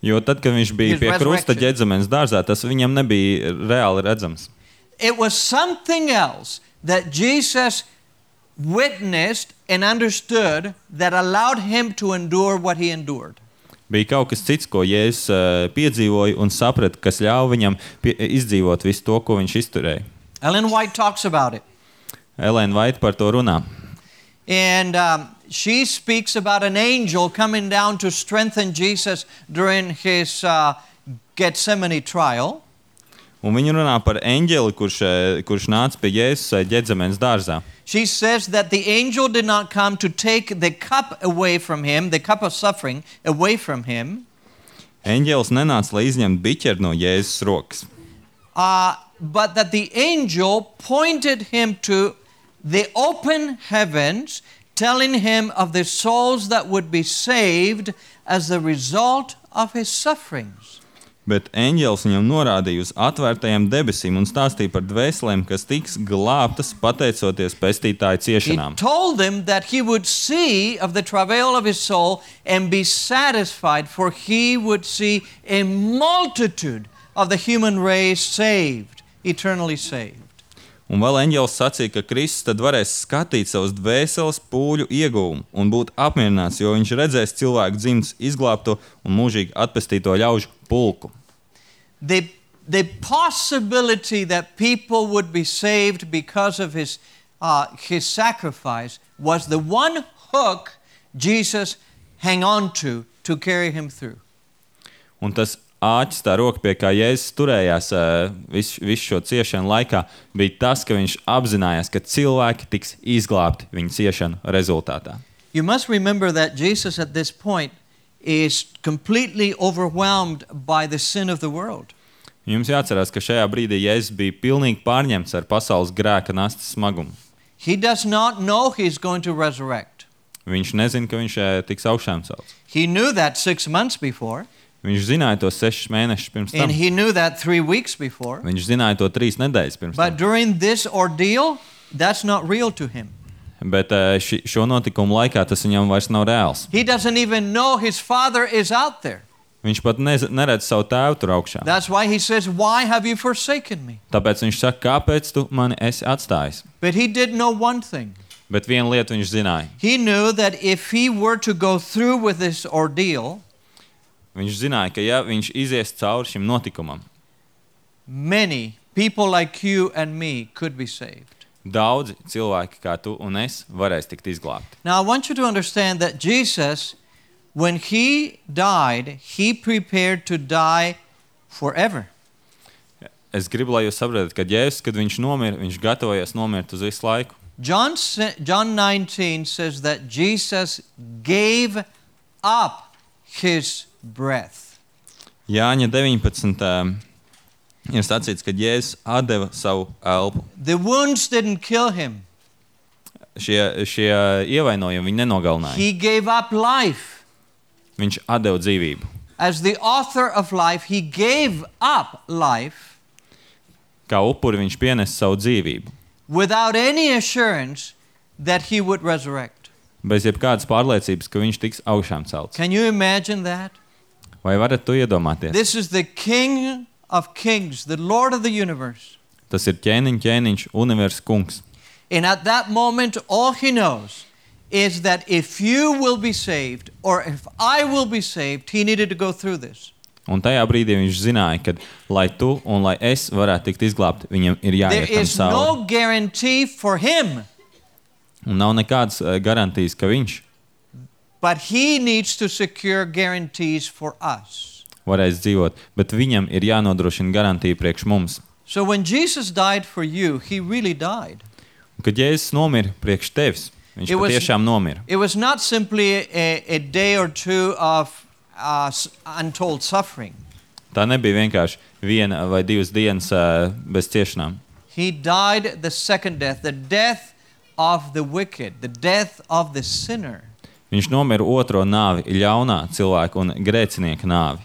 B: Jo tad, kad viņš bija
A: His
B: pie krusta
A: resurrection.
B: Ģedzemenes dārzā, tas viņam nebija reāli redzams.
A: It was something else that Jesus witnessed and understood that allowed him to endure what he endured.
B: Bija kaut kas cits, ko Jēzus piedzīvoja un saprata, kas ļāva viņam izdzīvot visu to, ko viņš izturēja.
A: Ellen White talks about it.
B: Elēna Vaita par to runā.
A: And she speaks about an angel coming down to strengthen Jesus during his Gethsemane trial.
B: Un viņa runā par eņģeli, kurš nāca pie Jēzus Ģedzemenes dārzā.
A: She says that the angel did not come to take the cup away from him, the cup of suffering away from him.
B: Eņģelis nenāca, lai izņemtu biķeri no Jēzus rokas.
A: But that the angel pointed him to the open heavens, telling him of the souls that would be saved as the result of his sufferings.
B: Bet eņģelis viņam norādīja uz atvērtajām debesīm un stāstīja par dvēselēm, kas tiks glābtas pateicoties pestītāja
A: He
B: ciešanām.
A: told them that he would see of the travail of his soul and be satisfied, for he would see a multitude of the human race saved, eternally saved.
B: Un vēl eņģelis sacīja, ka Kristus tad varēs skatīt savus dvēseles pūļu ieguvumu un būt apmierināts, jo viņš redzēs cilvēku dzimtas izglābto un mūžīgi atpestīto ļaužu pulku.
A: The possibility that people would be saved because of his sacrifice was the one hook Jesus hung on to carry him through.
B: Un tas āķis, tā roka, pie kā Jēzus turējās visu šo ciešanu laikā, bija tas, ka viņš apzinājās, ka cilvēki tiks izglābti viņa ciešanu rezultātā.
A: You must remember that Jesus at this point is completely overwhelmed by the sin of the world.
B: Jums jāatcerās, ka šajā brīdī Jēzus bija pilnīgi pārņemts ar pasaules grēka nastas smagumu.
A: He does not know he's going to resurrect.
B: Viņš nezina, ka viņš tiks augšām celts.
A: He knew that 6 months before,
B: Viņš zināja to 6 mēnešus pirms tam.
A: and he knew that 3 weeks before.
B: Viņš zināja to 3 nedēļas pirms
A: But
B: tam.
A: during this ordeal, that's not real to him.
B: Bet šo notikumu laikā tas viņam vairs nav reāls.
A: He doesn't even know his Father is out there.
B: Viņš pat neredz savu tēvu tur augšā.
A: That's why he says, "Why have you forsaken me?"
B: Tāpēc viņš saka, kāpēc tu mani esi atstājis?
A: But he did know one thing.
B: Bet vienu lietu viņš zināja.
A: He knew that if he were to go through with this ordeal,
B: Viņš zināja, ka ja viņš izies cauri šim notikumam,
A: many people like you and me could be saved.
B: daudzi cilvēki kā tu un es varēs tikt izglābti.
A: Now, I want you to understand that Jesus, when he died, he prepared to die forever.
B: Es gribu, lai jūs saprotat, ka Jēzus, kad viņš nomira, viņš gatavojas nomirt uz visu laiku.
A: John 19 says that Jesus gave up his breath.
B: Jāņa 19. Ir sacīts, ka Jēzus atdeva savu elpu.
A: The wounds didn't kill him.
B: Šie ievainojumi viņu nenogalināja.
A: He gave up life.
B: Viņš atdeva dzīvību.
A: As the author of life, he gave up life
B: Kā upuri viņš pienesa savu dzīvību.
A: without any assurance that he would resurrect.
B: Bez jebkādas pārliecības, ka viņš tiks augšām celts.
A: Can you imagine that?
B: Vai varat to iedomāties?
A: This is the King of Kings, the Lord of the universe.
B: Tas ir ķēniņš, universa kungs.
A: And at that moment, all he knows is that if you will be saved, or if I will be saved, he needed to go through this.
B: Un tajā brīdī viņš zināja, ka, lai tu un lai es varētu tikt izglābti, viņam ir
A: There
B: jāiet tam
A: is
B: cauri.
A: no guarantee for him,
B: Un nav nekādas garantijas, ka viņš
A: but he needs to secure guarantees for us.
B: varēs dzīvot, bet viņam ir jānodrošina garantija priekš mums.
A: So when Jesus died for you, he really died.
B: Un, kad Jēzus nomira priekš tevis, viņš
A: It was-
B: patiešām nomira.
A: It was not simply a day or two of untold suffering.
B: Tā nebija vienkārši viena vai divas dienas bez ciešanām.
A: He died the second death, the death of the wicked, the death of the sinner.
B: Viņš nomira otro nāvi, ļaunā cilvēka un grēcinieka nāvi.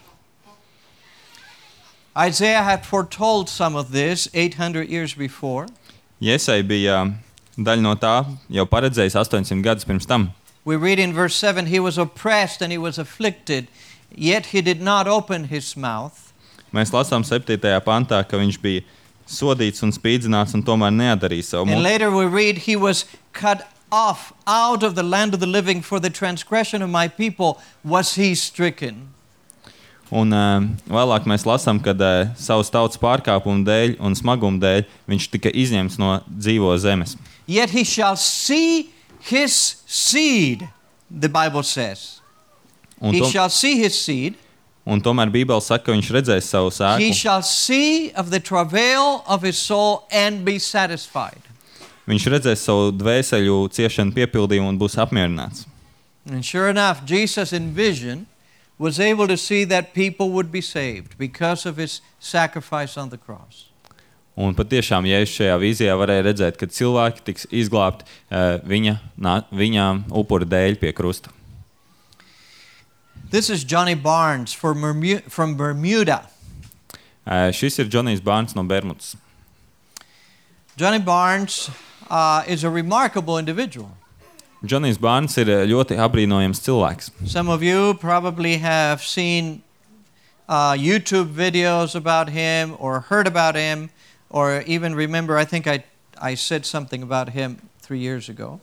A: Isaiah had foretold some of this 800 years before.
B: Iesai bija daļa no tā jau paredzējis 800 gadus pirms tam.
A: We read in verse 7, he was oppressed and he was afflicted, yet he did not open his mouth.
B: Mēs lasām 7. pantā, ka viņš bija sodīts un spīdzināts un tomēr neatdarīja savu
A: And
B: muti.
A: later we read he was cut off out of the land of the living, for the transgression of my people was he stricken.
B: Un vēlāk mēs lasām, ka savas tautas pārkāpumu dēļ un smaguma dēļ viņš tika izņemts no dzīvo zemes.
A: Yet he shall see his seed, the Bible says.
B: Un,
A: He shall see his seed.
B: un tomēr Bībele saka, ka viņš redzēs savu
A: He
B: sēklu.
A: shall see of the travail of his soul and be satisfied.
B: Viņš redzēs savu dvēseļu ciešanu piepildījumu un būs apmierināts.
A: And sure enough, Jesus in vision was able to see that people would be saved because of his sacrifice on the cross.
B: Un patiešām, ja es šajā vīzijā varēju redzēt, ka cilvēki tiks izglābti viņa upura dēļ pie krusta.
A: This is Johnny Barnes from Bermuda.
B: Šis ir Džonijs Bārns no Bermudas.
A: Johnny Barnes is a remarkable individual.
B: Džonijs Bārns ir ļoti apbrīnojams cilvēks.
A: Some of you probably have seen YouTube videos about him or heard about him or even remember, I think I said something about him 3 years ago.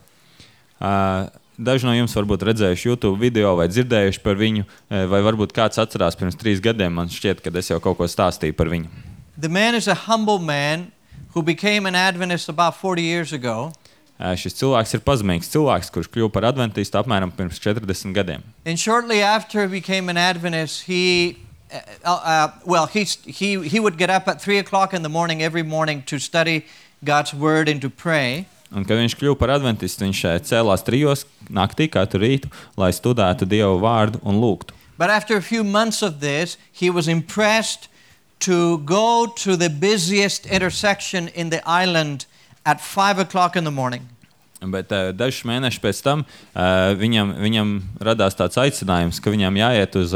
B: Daži no jums varbūt redzējuši YouTube video vai dzirdējuši par viņu, vai varbūt kāds atcerās pirms 3 gadiem. Man šķiet, ka es jau kaut ko stāstīju par viņu.
A: The man is a humble man who became an Adventist about 40 years ago.
B: Šis cilvēks ir pazemīgs cilvēks, kurš kļuva par adventistu apmēram pirms 40 gadiem.
A: And shortly after he became an Adventist, he would get up at 3 o'clock in the morning every morning to study God's Word and to pray.
B: Un, kad viņš kļuva par adventistu, viņš cēlās 3 naktī katru rītu, lai studētu Dievu vārdu un lūgtu.
A: But after a few months of this, he was impressed to go to the busiest intersection in the island at 5 o'clock in the morning.
B: Bet dažus mēnešus pēc tam viņam radās tāds aicinājums, ka viņam jāiet uz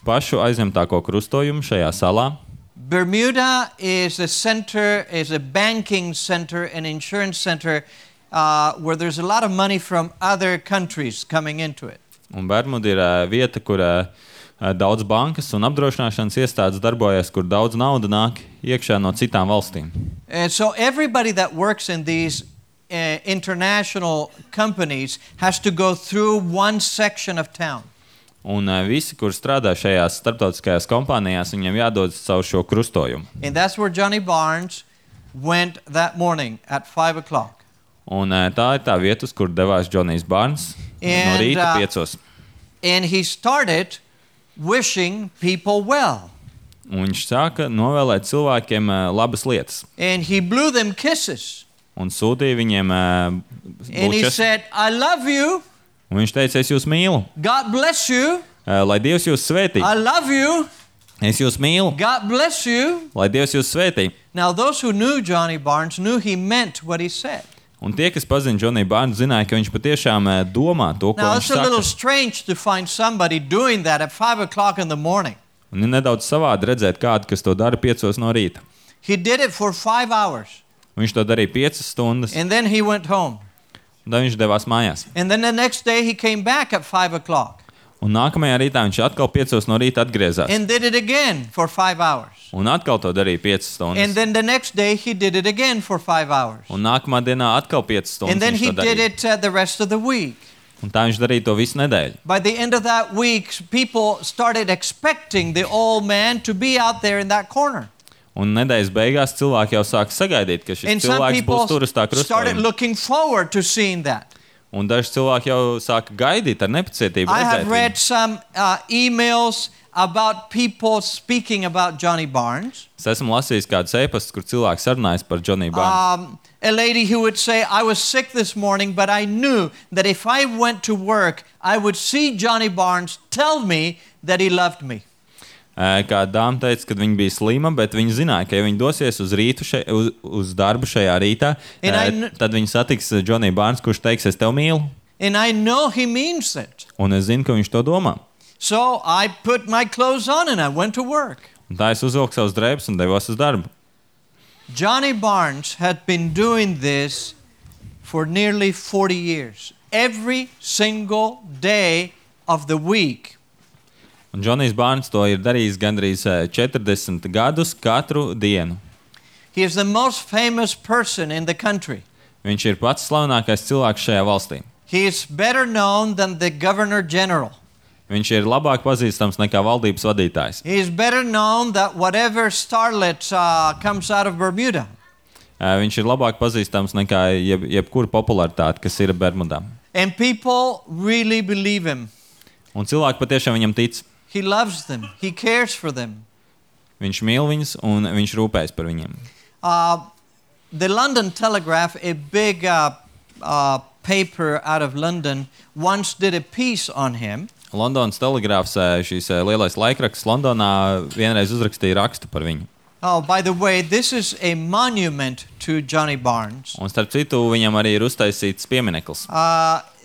B: pašu aizņemtāko krustojumu šajā salā.
A: Bermuda is a banking center, an insurance center, where there's a lot of money from other countries coming into it.
B: Un Bermuda ir vieta, kur daudz bankas un apdrošināšanas iestādes darbojas, kur daudz nauda nāk iekšā no citām valstīm.
A: So everybody that works in these international companies has to go through one section of town.
B: Un visi, kur strādā šajās starptautiskajās kompānijās, viņiem jādodas caur šo krustojumu.
A: And that's where Johnny Barnes went that morning at 5 o'clock.
B: Un tā ir tā vieta, uz kur devās Džonijs Bārns no rīta 5.
A: And he started wishing people well.
B: Un viņš sāka novēlēt cilvēkiem labas lietas.
A: And he blew them kisses.
B: Un sūtīja viņiem
A: And he
B: bučas.
A: said, I love you.
B: Un viņš teica, es jūs mīlu.
A: God bless you.
B: Lai Dievs jūs svētī.
A: I love you.
B: Es jūs mīlu.
A: God bless you.
B: Lai Dievs jūs svētī.
A: Now, those who knew Johnny Barnes knew he meant what he said.
B: Un tie, kas pazina Džoniju Bārnu, zināja, ka viņš patiešām domā to, ko
A: Now,
B: viņš
A: it's a little
B: saka.
A: strange to find somebody doing that at 5 o'clock in the morning.
B: Un ir nedaudz savādi redzēt kādu, kas to dara 5 no rīta.
A: He did it for 5 hours.
B: Viņš to darīja 5 stundas,
A: And then he went home.
B: un tad viņš devās mājās.
A: And then the next day he came back at 5 o'clock.
B: Un nākamajā rītā viņš atkal 5 no rīta atgriezās.
A: and did it again for 5 hours.
B: Un atkal to darīja 5 stundas.
A: And then the next day he did it again for 5 hours.
B: Un nākamā dienā atkal 5 stundas
A: And then
B: viņš
A: he
B: to
A: did
B: darīja.
A: it the rest of the week.
B: Un tā viņš darīja to visu nedēļu.
A: By the end of that week, people started expecting the old man to be out there in that corner.
B: Un nedēļas beigās cilvēki jau sāka sagaidīt, ka šis
A: And some
B: cilvēks
A: people
B: būs tur uz tā
A: started
B: krustojuma.
A: looking forward to seeing that.
B: Un daži cilvēki jau sāka gaidīt ar nepacietību
A: I have
B: redzēt
A: read
B: viņu.
A: some emails about people speaking about Johnny Barnes.
B: Es esmu lasījis kādus ēpastus, kur cilvēki sarunājas par Johnny Barnes.
A: A lady who would say, I was sick this morning, but I knew that if I went to work, I would see Johnny Barnes tell me that he loved me.
B: Kā dāma teica, kad viņa bija slima, bet viņa zināja, ka ja viņa dosies uz darbu šajā rītā, tad viņa satiks Johnny Barnes, kurš teiks, es tev mīlu.
A: And I know he means it.
B: Un es zinu, ka viņš to domā.
A: So I put my clothes on and I went to work.
B: Un tā es uzvilku savus drēbes un devos uz darbu.
A: Johnny Barnes had been doing this for nearly 40 years. Every single day of the week.
B: Un Džonijs Barnes to ir darījis gandrīz 40 gadus katru dienu.
A: He is the most famous person in the country.
B: Viņš ir pats slavenākais cilvēks šajā valstī.
A: He is better known than the Governor General.
B: Viņš ir labāk pazīstams nekā valdības vadītājs.
A: He is better known than whatever starlet comes out of Bermuda.
B: Viņš ir labāk pazīstams nekā jebkura popularitāte, kas ir Bermudā.
A: And people really believe him.
B: Un cilvēki patiešām viņam tic.
A: He loves them. He cares for them.
B: Viņš mīl viņus un viņš rūpējas par viņiem.
A: The London Telegraph, a big paper out of London, once did a piece on him.
B: Londonas telegrāfs, šīs lielais laikraksts Londonā, vienreiz uzrakstīja rakstu par viņu.
A: Oh, by the way, this is a monument to Johnny Barnes.
B: Un starp citu, viņam arī ir uztaisīts piemineklis.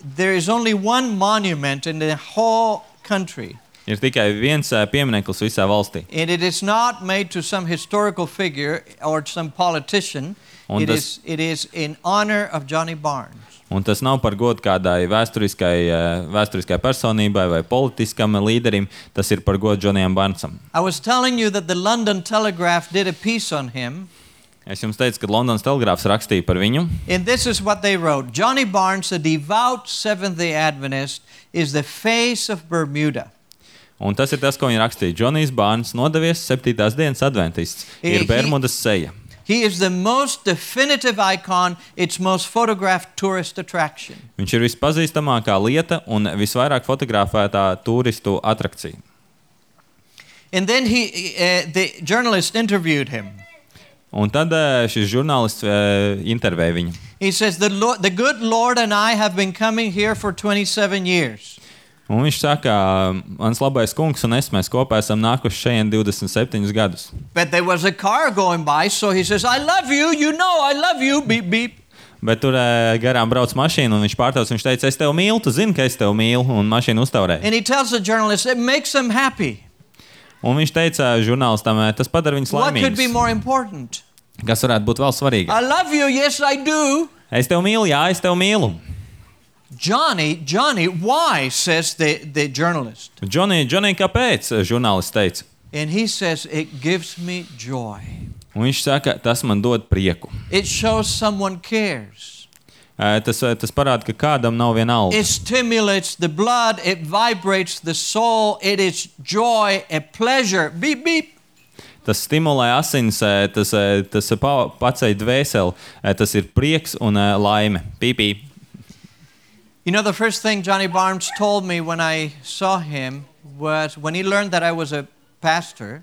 A: There is only one monument in the whole country.
B: Ir tikai viens piemineklis visā valstī.
A: And it is not made to some historical figure or some politician. It is in honor of Johnny Barnes.
B: Un tas nav par godu kādai vēsturiskai personībai vai politiskam līderim, tas ir par godu Johnnyam Barnesam.
A: I was telling you that the London Telegraph did a piece on him.
B: Es jums teicu, ka Londonas telegrāfs rakstīja par viņu.
A: And this is what they wrote. Johnny Barnes, a devout Seventh-day Adventist, is the face of Bermuda.
B: Un tas ir tas, ko viņi rakstīja. Džonijs Barnes, nodevies 7. dienas adventists, ir Bermudas seja.
A: He is the most definitive icon, its most photographed tourist attraction.
B: Viņš ir vispazīstamākā lieta un visvairāk fotografētā turistu atrakcija.
A: And then the journalist interviewed him.
B: Un tad šis žurnālists intervēja viņu.
A: He says, the good Lord and I have been coming here for 27 years.
B: Un viņš saka, mans labais kungs un es, mēs kopā esam nākuši šeit 27 gadus.
A: But there was a car going by, so he says, I love you, you know I love you, beep, beep.
B: Bet tur garām brauc mašīna, un viņš pārtauc, viņš teica, es tev mīlu, tu zini, ka es tev mīlu, un mašīna uztaurēja.
A: And he tells the journalist, it makes him happy.
B: Un viņš teica žurnālistam, tas padara viņus
A: What could be
B: laimīgus.
A: more important?
B: Kas varētu būt vēl svarīgāk?
A: I love you, yes I do.
B: Es tev mīlu, jā, es tev mīlu.
A: Johnny, why, says the journalist.
B: Johnny, kāpēc? Žurnālists teica.
A: And he says, it gives me joy.
B: Un viņš saka, tas man dod prieku.
A: It shows someone cares.
B: Tas parāda, ka kādam nav viena alga.
A: It stimulates the blood, it vibrates the soul, it is joy, a pleasure. Beep, beep.
B: Tas stimulē asins, tas paceļ dvēseli, tas ir prieks un laime. Pīpī.
A: You know, the first thing Johnny Barnes told me when I saw him was when he learned that I was a pastor.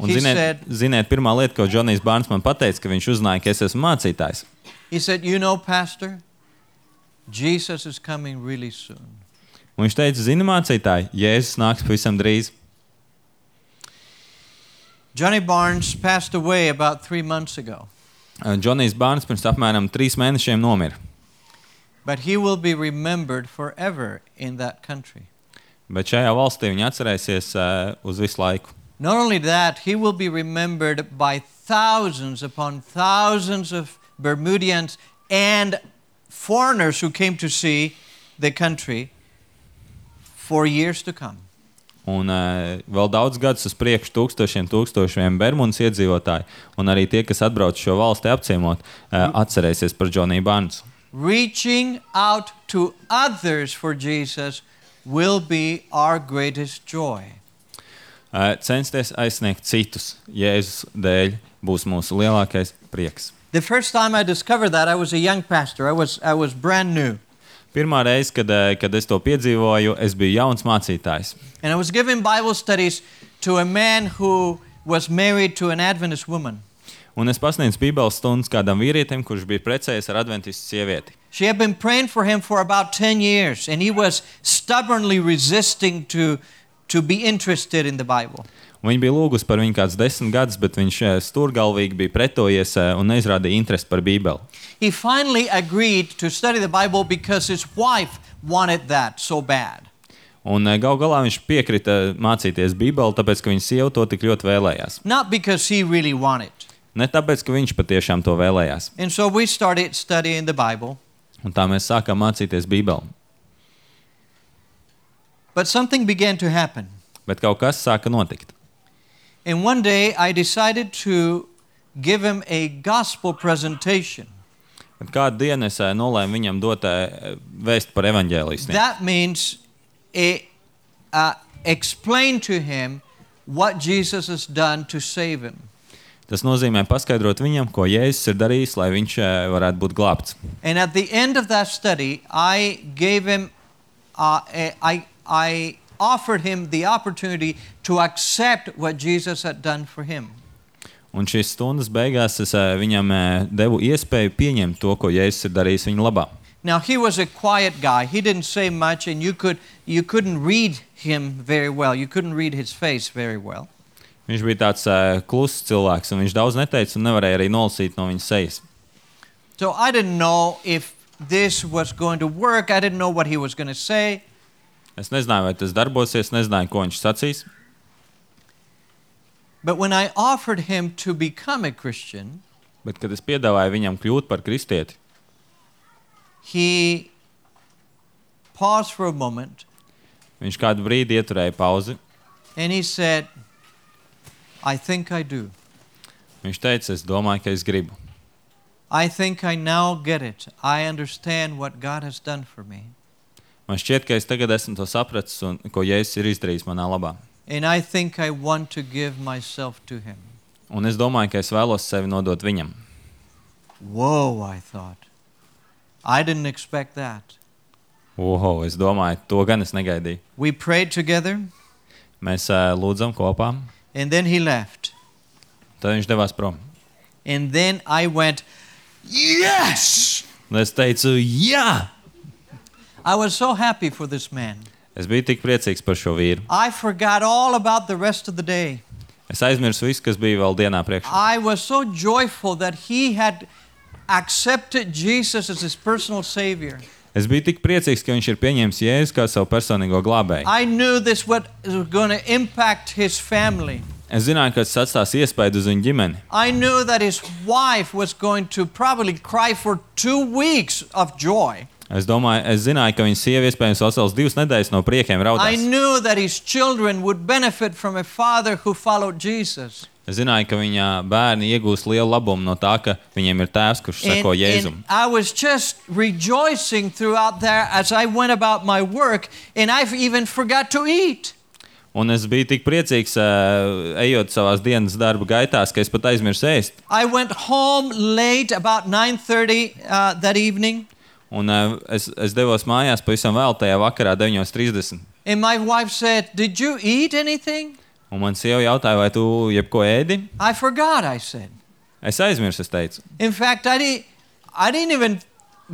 B: Un ziniet, pirmā lieta, ko Džonijs Barnes man pateica, ka viņš uzzināja, ka es esmu mācītājs.
A: He said, you know, pastor, Jesus is coming really soon.
B: Un viņš teica, zini, mācītāji, Jēzus nāks pavisam drīz.
A: Johnny Barnes passed away about 3 months ago.
B: Džonijs Barnes pirms apmēram 3 mēnešiem nomira.
A: But he will be remembered forever in that country.
B: Bet šajā valstī viņi atcerēsies uz visu laiku.
A: Not only that, he will be remembered by thousands upon thousands of Bermudians and foreigners who came to see the country for years to come.
B: Un vēl daudz gadus uz priekšu tūkstošiem Bermudas iedzīvotāji un arī tie, kas atbrauc šo valsti apciemot, atcerēsies par Džoniju Barnesu.
A: Reaching out to others for Jesus will be our greatest joy.
B: Censties aizsniegt citus Jēzus dēļ būs mūsu lielākais prieks.
A: The first time I discovered that, I was a young pastor. I was brand new.
B: Pirmā reize, kad es to piedzīvoju, es biju jauns mācītājs.
A: And I was giving Bible studies to a man who was married to an Adventist woman.
B: Un es pasniedzu Bībeles stundas kādam vīrietim, kurš bija precējies ar adventistu sievieti.
A: She had been praying for him for about 10 years, and he was stubbornly resisting to be interested in the Bible.
B: Un viņa bija lūgusi par viņu kāds 10 gadus, bet viņš stūrgalvīgi bija pretojies un neizrādīja interesi par Bībeli.
A: He finally agreed to study the Bible because his wife wanted that so bad.
B: Un gal galā viņš piekrita mācīties Bībeli, tāpēc, ka viņa sieva to tik ļoti vēlējās.
A: Not because he really wanted.
B: Ne tāpēc, ka viņš patiešām to vēlējās.
A: And so we started studying the Bible.
B: Un tā mēs sākām mācīties Bībeli.
A: But something began to happen.
B: Bet kaut kas sāka notikt.
A: And one day I decided to give him a gospel presentation.
B: Bet kādu dienu es nolēmu viņam dot vēst par evaņģēliju sniegt.
A: That means explain to him what Jesus has done to save him.
B: Tas nozīmē paskaidrot viņam, ko Jēzus ir darījis, lai viņš varētu būt glābts.
A: And at the end of that study, I gave him, I offered him the opportunity to accept what Jesus had done for him.
B: Un šīs stundas beigās es viņam devu iespēju pieņemt to, ko Jēzus ir darījis viņa labā.
A: Now he was a quiet guy. He didn't say much, and you couldn't read him very well. You couldn't read his face very well.
B: Viņš bija tāds kluss cilvēks, un viņš daudz neteica un nevarēja arī nolasīt no viņa sejas.
A: So I didn't know if this was going to work. I didn't know what he was going to say.
B: Es nezināju, vai tas darbosies, nezināju, ko viņš sacīs.
A: But when I offered him to become a Christian,
B: Bet, kad es piedāvāju viņam kļūt par kristieti,
A: he paused for a moment,
B: viņš kādu brīdi ieturēja pauzi.
A: and he said, I think I do.
B: Viņš teica, es domāju, ka es gribu.
A: I think I now get it. I understand what God has done for me.
B: Man šķiet, ka es tagad esmu to sapratis, un ko Jēzus ir izdarījis manā labā.
A: And I think I want to give myself to him.
B: Un es domāju, ka es vēlos sevi nodot viņam.
A: Whoa, I thought. I didn't expect that.
B: Oho, es domāju, to gan es negaidīju.
A: We prayed together,
B: Mēs lūdzam kopā,
A: and then he left.
B: tad viņš devās prom.
A: And then I went, yes!
B: Un es teicu, jā!
A: I was so happy for this man.
B: Es biju tik priecīgs par šo vīru.
A: I forgot all about the rest of the day.
B: Es aizmirsu visu, kas bija vēl dienā priekšā.
A: I was so joyful that he had accepted Jesus as his personal savior.
B: Es biju tik priecīgs, ka viņš ir pieņēmis Jēzu kā savu personīgo glābēju.
A: I knew this was going to impact his family.
B: Es zināju, ka tas atstās iespaidu uz viņu ģimeni.
A: I knew that his wife was going to probably cry for 2 weeks of joy.
B: Es zināju, ka viņa sieva iespējams vesels 2 nedēļas no priekiem
A: I
B: raudās.
A: knew that his children would benefit from a father who followed Jesus.
B: Es zināju, ka viņa bērni iegūs lielu labumu no tā, ka viņiem ir tēvs, kurš seko Jēzum.
A: And I was just rejoicing throughout there as I went about my work, and I even forgot to eat.
B: Un es biju tik priecīgs, ejot savās dienas darba gaitās, ka es pat aizmirsu ēst.
A: I went home late, about 9:30 that evening.
B: Un es devos mājās pavisam vēl tajā vakarā 9:30.
A: And my wife said, "Did you eat anything?"
B: Un man sieva jautāja, vai tu jebko ēdi?
A: I forgot, I said.
B: Es aizmirsu, es teicu.
A: In fact, I didn't even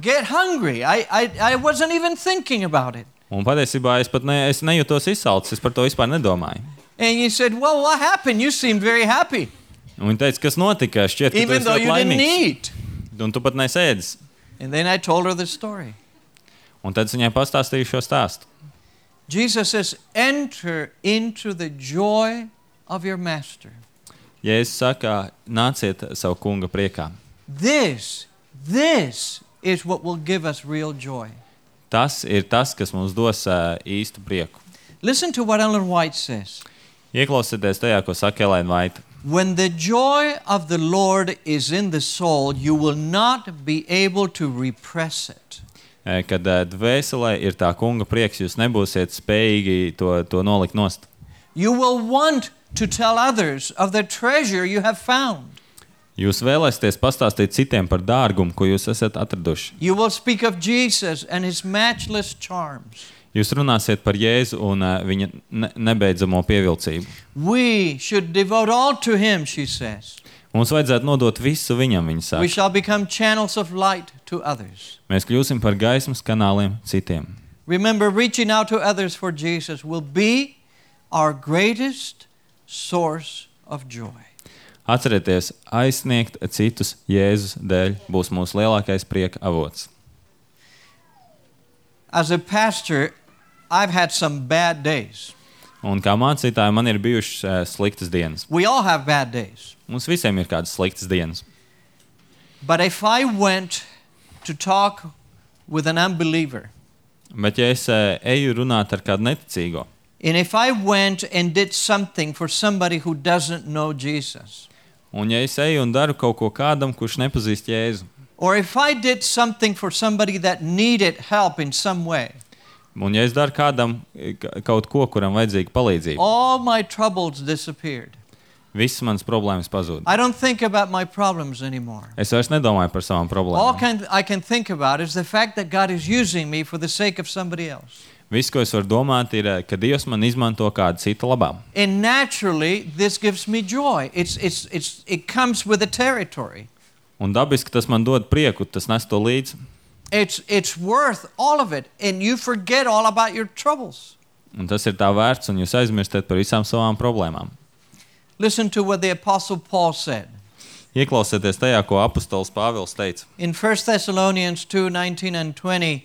A: get hungry. I wasn't even thinking about it.
B: Un patiesībā es nejūtos izsalcis, es par to vispār nedomāju.
A: And he said, "Well, what happened? You seemed very happy,
B: Un viņa teica, kas notika, šķiet, ka tu
A: even
B: esi
A: though
B: ļoti
A: you didn't
B: laimīgs.
A: eat."
B: Un tu pat nesēdis.
A: And then I told her the story.
B: Un tad es viņai pastāstīju šo stāstu.
A: Jesus says, "Enter into the joy of your master."
B: Jēzus saka, nāciet savu kunga priekā.
A: This is what will give us real joy.
B: Tas ir tas, kas mums dos īstu prieku.
A: Listen to what Ellen White says.
B: Ieklausieties tajā, ko saka Elēna Vaita.
A: When the joy of the Lord is in the soul, you will not be able to repress it.
B: Kad dvēselē ir tā kunga prieks, jūs nebūsiet spējīgi to nolikt nost.
A: You will want to tell others of the treasure you have found.
B: Jūs vēlēsieties pastāstīt citiem par dārgumu, ko jūs esat atraduši.
A: You will speak of Jesus and his matchless charms.
B: Jūs runāsiet par Jēzu un viņa nebeidzamo pievilcību.
A: We should devote all to him, she says.
B: Mums vajadzētu nodot visu viņam, viņa
A: We
B: saka.
A: shall become channels of light to others.
B: Mēs kļūsim par gaismas kanāliem citiem.
A: Remember, reaching out to others for Jesus will be our greatest source of joy.
B: Atcerieties, aizsniegt citus Jēzus dēļ būs mūsu lielākais prieka avots.
A: As a pastor, I've had some bad days.
B: Un kā mācītāji, man ir bijušas sliktas dienas.
A: We all have bad days.
B: Mums visiem ir kādas sliktas dienas.
A: But if I went to talk with an unbeliever,
B: Bet ja es eju runāt ar kādu neticīgo,
A: and if I went and did something for somebody who doesn't know Jesus,
B: un ja es eju un daru kaut ko kādam, kurš nepazīst Jēzu,
A: or if I did something for somebody that needed help in some way,
B: un ja es daru kādam kaut ko, kuram vajadzīga palīdzība,
A: all my troubles disappeared.
B: visas manas problēmas pazūd.
A: I don't think about my problems anymore.
B: Es vairs nedomāju par savām
A: All
B: problēmām.
A: I can think about is the fact that God is using me for the sake of somebody else.
B: Viss, ko es varu domāt, ir, ka Dievs man izmanto kādu citu labā.
A: And naturally, this gives me joy. It comes with the territory.
B: Un dabiski tas man dod prieku, tas nes to līdzi.
A: It's worth all of it, and you forget all about your troubles.
B: Un tas ir tā vērts, un jūs aizmirstat par visām savām problēmām.
A: Listen to what the Apostle Paul said.
B: Ieklausieties tajā, ko apostols Pāvils teica.
A: In 1 Thessalonians 2:19 and 20,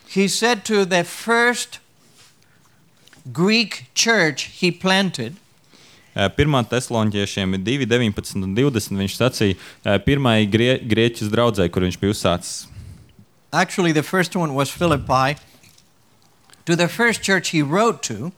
A: he said to the first Greek church he planted,
B: 1. Tesaloniķiešiem 2:19 un 20 viņš sacīja pirmai Grieķijas draudzei, kur viņš bija uzsācis.
A: actually the first one was Philippi, to the first church he wrote to,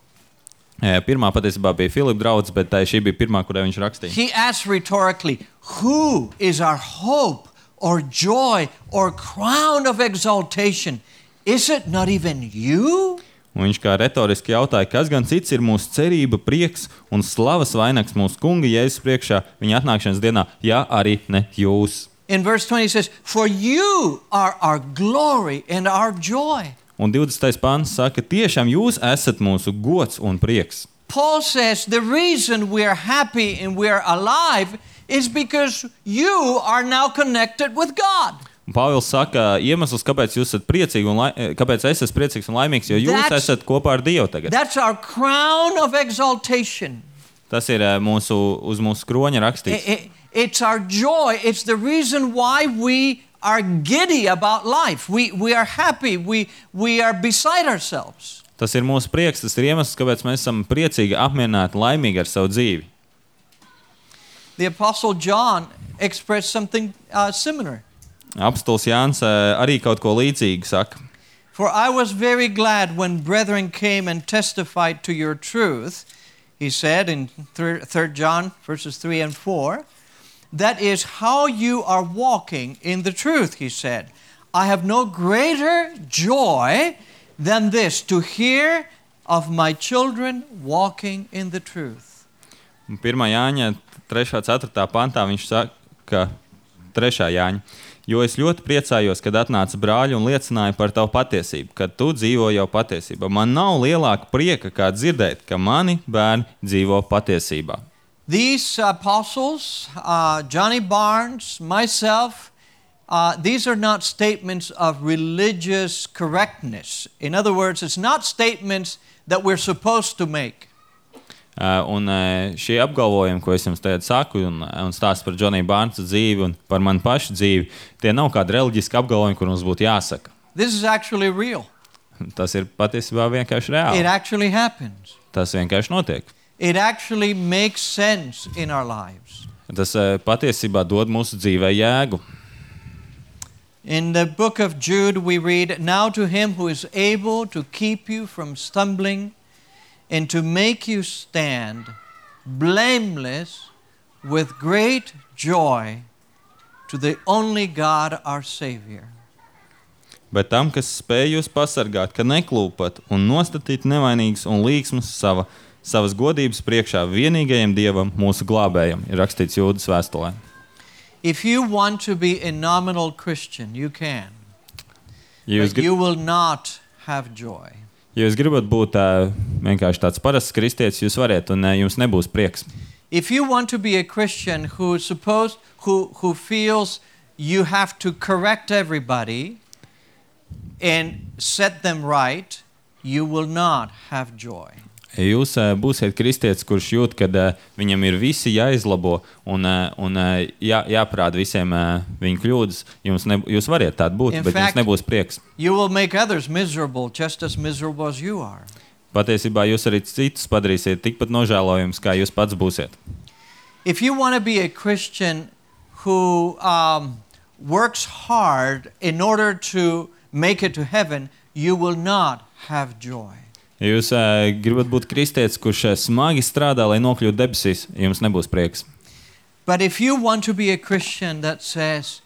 B: Pirmā patiesībā bija Filipa draudze, bet šī bija pirmā, kurai viņš rakstīja.
A: he asked rhetorically, who is our hope or joy or crown of exaltation? Is it not even you?
B: Un viņš kā retoriski jautāja, kas gan cits ir mūsu cerība, prieks un slavas vainags mūsu kunga Jēzus priekšā viņa atnākšanas dienā, ja arī ne jūs.
A: In verse 20 he says, for you are our glory and our joy.
B: Un 20. pāns saka, tiešām jūs esat mūsu gods un prieks.
A: Paul says the reason we are happy and we are alive is because you are now connected with God.
B: Un Pāvils saka, iemesls, kāpēc jūs esat priecīgi un kāpēc es esmu priecīgs un laimīgs, jo jūs esat kopā ar Dievu tagad.
A: That's our crown of exaltation.
B: Tas ir uz mūsu kroņa rakstīts.
A: It's our joy. It's the reason why we are giddy about life. We are happy. We are beside ourselves.
B: Tas ir mūsu prieks, tas ir iemesls, kāpēc mēs esam priecīgi, apmierināti, laimīgi ar savu dzīvi.
A: The Apostle John expressed something similar.
B: Apostols Jānis arī kaut ko līdzīgu saka.
A: For I was very glad when brethren came and testified to your truth, he said in 3 John verses 3 and 4. That is how you are walking in the truth, he said. I have no greater joy than this, to hear of my children walking in the truth.
B: 1. Jāņa 3.4. pantā viņš saka, 3. Jāņa, jo es ļoti priecājos, kad atnāca brāļi un liecināja par tavu patiesību, kad tu dzīvo jau patiesībā. Man nav lielāka prieka, kā dzirdēt, ka mani bērni dzīvo patiesībā.
A: These apostles, Johnny Barnes, myself, these are not statements of religious correctness. In other words, it's not statements that we're supposed to make.
B: Un šie apgalvojumi, ko es jums tagad saku un stāstu par Johnny Barnesa dzīvi un par manu pašu dzīvi, tie nav kādi reliģiski apgalvojumi, kur mums būtu jāsaka.
A: This is actually real.
B: Tas ir patiesībā vienkārši
A: It
B: reāli.
A: actually happens.
B: Tas vienkārši notiek.
A: It actually makes sense in our lives.
B: Tas patiesībā dod mūsu dzīvē jēgu.
A: In the book of Jude we read, now to him who is able to keep you from stumbling and to make you stand blameless with great joy to the only God our Savior.
B: Bet tam, kas spēj jūs pasargāt, ka neklūpat un nostatīt nevainīgas un līksmas savas godības priekšā vienīgajam Dievam, mūsu glābējam, ir rakstīts Jūdas vēstulē.
A: If you want to be a nominal Christian, you can.
B: Ja
A: But you will not have joy.
B: Ja jūs gribat būt vienkārši tāds parasts kristietis, jūs variet, un jums nebūs prieks.
A: If you want to be a Christian who feels you have to correct everybody and set them right, you will not have joy.
B: Ja jūs būsiet kristietis, kurš jūt, ka viņam ir visi jāizlabo un jāparāda visiem viņa kļūdas, jūs variet tādu būt, bet jums nebūs prieks.
A: You will make others miserable, just as miserable as you are.
B: Patiesībā jūs arī citus padarīsiet tikpat nožēlojums, kā jūs pats būsiet.
A: If you want to be a Christian who works hard in order to make it to heaven, you will not have joy.
B: Ja jūs gribat būt kristietis, kurš smagi strādā, lai nokļūtu debesīs, jums nebūs prieks.
A: But if you want to be a Christian that says,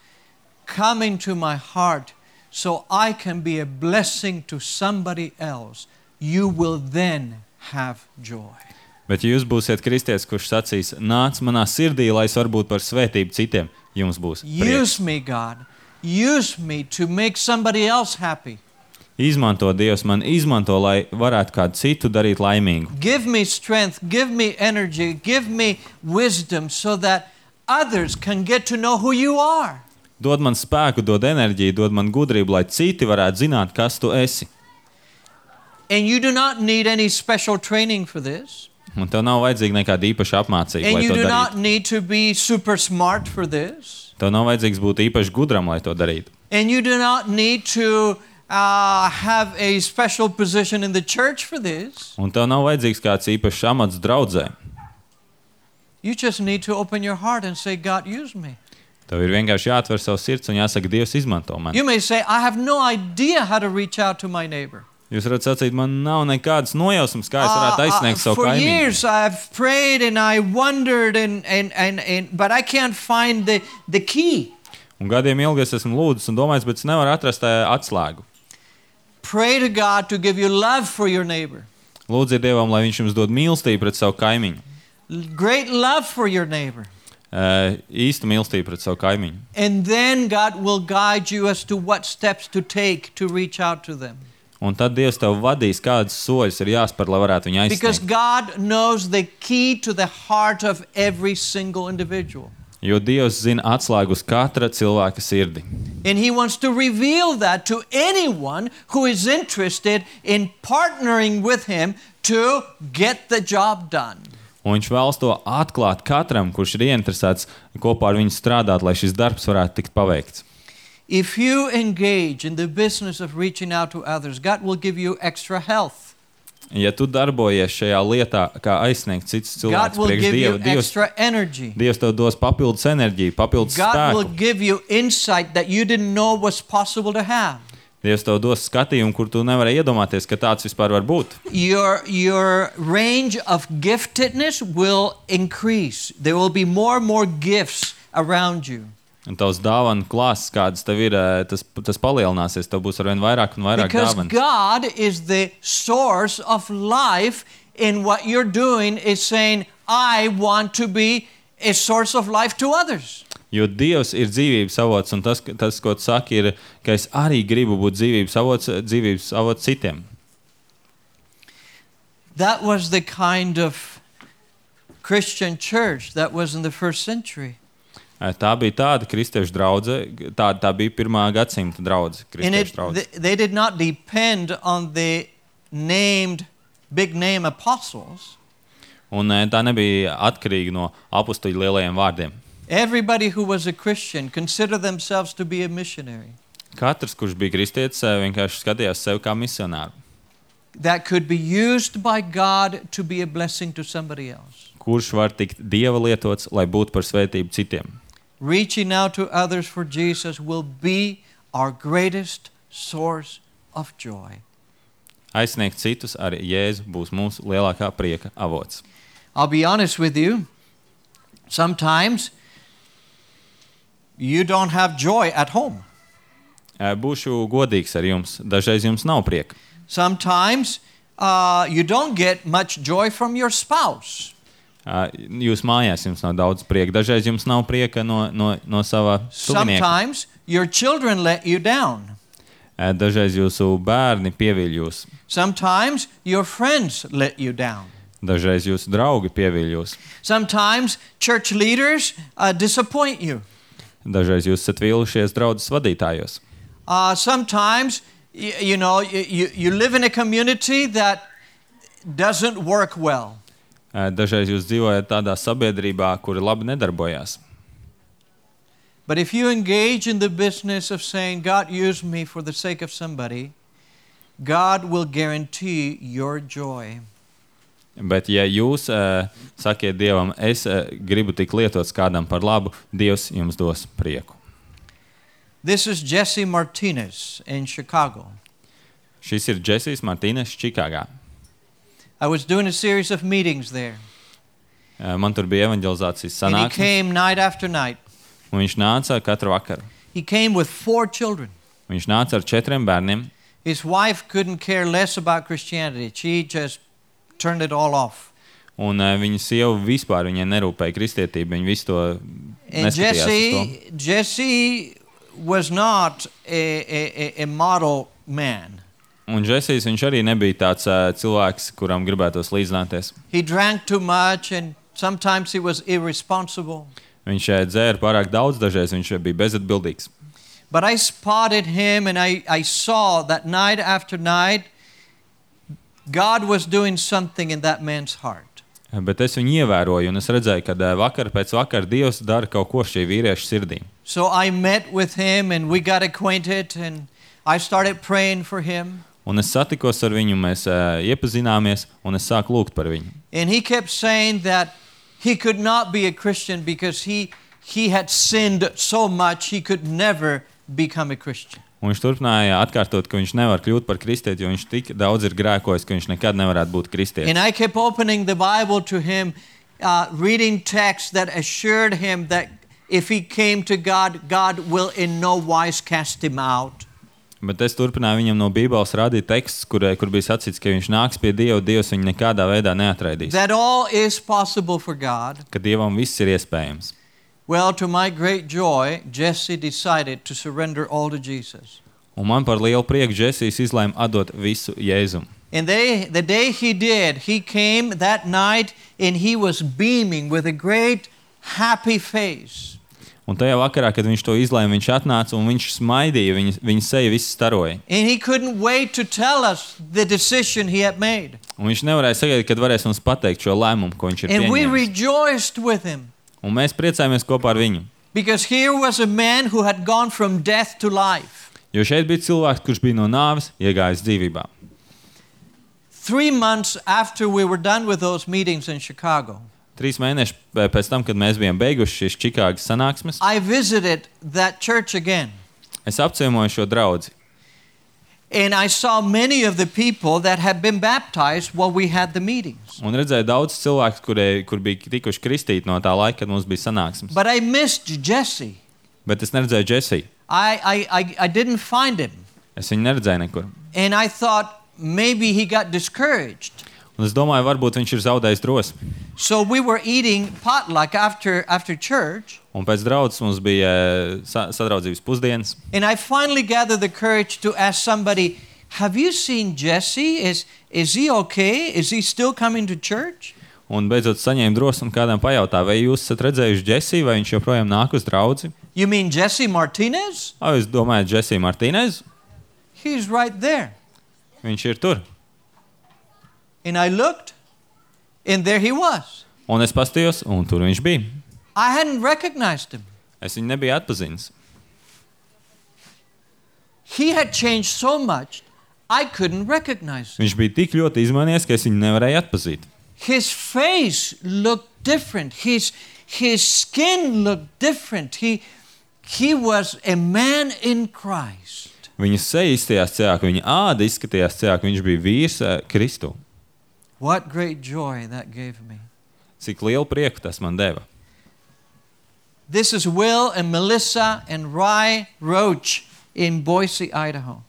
A: come into my heart so I can be a blessing to somebody else, you will then have joy.
B: Bet ja jūs būsiet kristietis, kurš sacīs, nāc manā sirdī, lai es varu būt par svētību citiem, jums būs prieks.
A: Use me, God. Use me to make somebody else happy.
B: Izmanto Dievs man, izmanto, lai varētu kādu citu darīt laimīgu.
A: Give me strength, give me energy, give me wisdom so that others can get to know who you are.
B: Dod man spēku, dod enerģiju, dod man gudrību, lai citi varētu zināt, kas tu esi.
A: And you do not need any special training for this.
B: Un tev nav vajadzīga nekāda īpaša apmācība,
A: And
B: lai
A: you
B: to
A: do not
B: darītu.
A: need to be super smart for this.
B: Tev nav vajadzīgs būt īpaši gudram, lai to darītu.
A: And you do not need to have a special position in the church for this.
B: Un tev nav vajadzīgs kāds īpašs amats draudzē.
A: You just need to open your heart and say, God, use me.
B: Tev ir vienkārši jāatver savu sirds un jāsaka, Dievs izmanto mani.
A: You may say, I have no idea how to reach out to my neighbor.
B: Jūs varat sacīt, man nav nekādas nojausmas, kā es varētu aizsniegt savu
A: For
B: kaimiņu.
A: years I've prayed and I wondered, but I can't find the key.
B: Un gadiem ilgi es esmu lūdzis un domājis, bet es nevaru atrast atslēgu.
A: Pray to God to give you love for your neighbor.
B: Lūdziet Dievam, lai viņš jums dod mīlestību pret savu kaimiņu.
A: Great love for your neighbor.
B: Īsta mīlestība pret savu kaimiņu.
A: And then God will guide you as to what steps to take to reach out to them.
B: Un tad Dievs tev vadīs, kādas soļus ir jāspēr, lai varētu viņu
A: Because
B: aizsniegt.
A: God knows the key to the heart of every single individual.
B: Jo Dievs zina atslēgu uz katra cilvēka sirdi.
A: And He wants to reveal that to anyone who is interested in partnering with Him to get the job done.
B: Un viņš vēlas to atklāt katram, kurš ir ieinteresēts kopā ar viņu strādāt, lai šis darbs varētu tikt paveikts.
A: If you engage in the business of reaching out to others, God will give you extra health.
B: Ja tu darbojies šajā lietā, kā aizsniegt citus
A: God
B: cilvēkus
A: will
B: priekš
A: give you
B: Dieva,
A: extra energy.
B: Dievs tev dos papildus enerģiju, papildus
A: God will
B: spēku.
A: give you insight that you didn't know was possible to have.
B: Dievs tev dos skatījumu, kur tu nevarēji iedomāties, ka tāds vispār var būt.
A: Your range of giftedness will increase. There will be more and more gifts around you.
B: Un tavs dāvanu klāsts, kādas tev ir, tas palielināsies, tev būs arvien vairāk un vairāk
A: Because
B: dāvanas.
A: God is the source of life, and what you're doing is saying, I want to be a source of life to others.
B: Jo Dievs ir dzīvības avots, un tas, ko tu saki, ir, ka es arī gribu būt dzīvības avots citiem.
A: That was the kind of Christian church that was in the first century.
B: Tā bija tāda kristiešu draudze, tā bija pirmā gadsimta draudze, kristiešu draudze.
A: They did not depend on the big name apostles.
B: Un tā nebija atkarīga no apustuļu lielajiem vārdiem.
A: Everybody who was a Christian considered themselves to be a missionary.
B: Katrs, kurš bija kristietis, vienkārši skatījās sevi kā misionāru,
A: That could be used by God to be a blessing to somebody else.
B: kurš var tikt Dieva lietots, lai būtu par svētību citiem.
A: Reaching out to others for Jesus will be our greatest source of joy.
B: aizsniegt citus ar Jēzu būs mūsu lielākā prieka avots.
A: I'll be honest with you. Sometimes you don't have joy at home.
B: Būšu godīgs ar jums. Dažreiz jums nav prieka.
A: Sometimes you don't get much joy from your spouse.
B: Jūs mājās jums nav daudz prieka. Dažreiz jums nav prieka no sava tuvinieka.
A: Sometimes your children let you down.
B: Dažreiz jūsu bērni pieviļ jūs.
A: Sometimes your friends let you down.
B: Dažreiz jūsu draugi pieviļ jūs.
A: Sometimes church leaders disappoint you.
B: Dažreiz jūs esat vīlušies draudzes vadītājos.
A: Sometimes you live in a community that doesn't work well.
B: Dažreiz jūs dzīvojat tādā sabiedrībā, kuri labi nedarbojās.
A: But if you engage in the business of saying, God, use me for the sake of somebody, God will guarantee your joy.
B: Bet ja jūs sakiet Dievam, es gribu tik lietots kādam par labu, Dievs jums dos prieku.
A: This is Jesse Martinez in Chicago.
B: Šis ir Džesijs Martīnes Čikāgā.
A: I was doing a series of meetings there.
B: Man tur bija evanģelizācijas
A: And he
B: sanāksmes,
A: came night after night.
B: un viņš nāca katru vakaru.
A: He came with 4 children.
B: Viņš nāca ar 4 bērniem.
A: His wife couldn't care less about Christianity. She just turned it all off.
B: Un viņa sieva vispār viņai nerūpēja kristietība, viņa visu to
A: And
B: neskatījās uz to.
A: Jesse was not a model man.
B: Un Džesijs, viņš arī nebija tāds cilvēks, kuram gribētos līdzināties.
A: He drank too much and sometimes he was irresponsible.
B: Viņš dzēra pārāk daudz, dažreiz viņš bija bezatbildīgs.
A: But I spotted him and I saw that night after night God was doing something in that man's heart.
B: Bet es viņu ievēroju, un es redzēju, ka vakar pēc vakara Dievs dara kaut ko šī vīrieša sirdī.
A: So I met with him and we got acquainted and I started praying for him.
B: Un es satikos ar viņu, mēs iepazināmies, un es sāku lūgt par viņu.
A: And he kept saying that he could not be a Christian because he had sinned so much he could never become a Christian.
B: Un viņš turpināja atkārtot, ka viņš nevar kļūt par kristieti, jo viņš tik daudz ir grēkojis, ka viņš nekad nevarētu būt kristietis.
A: And I kept opening the Bible to him, reading texts that assured him that if he came to God, God will in no wise cast him out.
B: Bet es turpināju viņam no Bībeles rādīt tekstus, kur bija sacīts, ka viņš nāks pie Dieva, Dievs viņu nekādā veidā neatraidīs.
A: That all is possible for God.
B: Ka Dievam viss ir iespējams.
A: Well, to my great joy, Jesse decided to surrender all to Jesus.
B: Un man par lielu prieku Džesijs izlēma atdot visu Jēzum.
A: And the day he did, he came that night and he was beaming with a great happy face.
B: Un tajā vakarā, kad viņš to izlēma, viņš atnāca un viņš smaidīja, viņa seja viss staroja.
A: And he couldn't wait to tell us the decision he had made.
B: Un viņš nevarēja sagaidīt, kad varēs mums pateikt šo lēmumu, ko viņš ir
A: And we
B: pieņēmis.
A: rejoiced with him.
B: Un mēs priecājamies kopā ar viņu.
A: Because here was a man who had gone from death to life.
B: Jo šeit bija cilvēks, kurš bija no nāves iegājis dzīvībā.
A: 3 months after we were done with those meetings in Chicago,
B: 3 mēneši pēc tam, kad mēs bijām beiguši šīs Čikāgas sanāksmes,
A: I visited that church again.
B: es apciemoju šo draudzi.
A: And I saw many of the people that had been baptized while we had the meetings.
B: Un redzēju daudz cilvēku, kur bija tikuši kristīti no tā laika, kad mums bija sanāksmes.
A: But I missed Jesse.
B: Bet es neredzēju Džesiju.
A: I didn't find him.
B: Es viņu neredzēju nekur.
A: And I thought maybe he got discouraged.
B: Un es domāju, varbūt viņš ir zaudējis drosmi.
A: So we were eating potluck after church.
B: Un pēc draudzes mums bija sadraudzības pusdienas.
A: And I finally gathered the courage to ask somebody, have you seen Jesse? Is he okay? Is he still coming to church?
B: Un beidzot saņēmu drosmi un kādam pajautā, vai jūs esat redzējuši Džesiju, vai viņš joprojām nāk uz draudzi?
A: You mean Jesse Martinez?
B: Jūs domājat Džesiju Martīnez?
A: He's right there.
B: Viņš ir tur.
A: And I looked, and there he was.
B: Un es pastījos, un tur viņš bija.
A: I hadn't recognized him.
B: Es viņu nebiju atpazinis.
A: He had changed so much, I couldn't recognize him.
B: Viņš bija tik ļoti izmainījies, ka es viņu nevarēju atpazīt.
A: His face looked different. His skin looked different. He was a man in Christ.
B: Viņa seja izskatījās cejāk, viņa āda izskatījās cejāk, viņš bija vīrs Kristu.
A: What great joy that gave me.
B: Cik lielu prieku tas man deva.
A: This is Will and Melissa and Rai Roach in Boise, Idaho.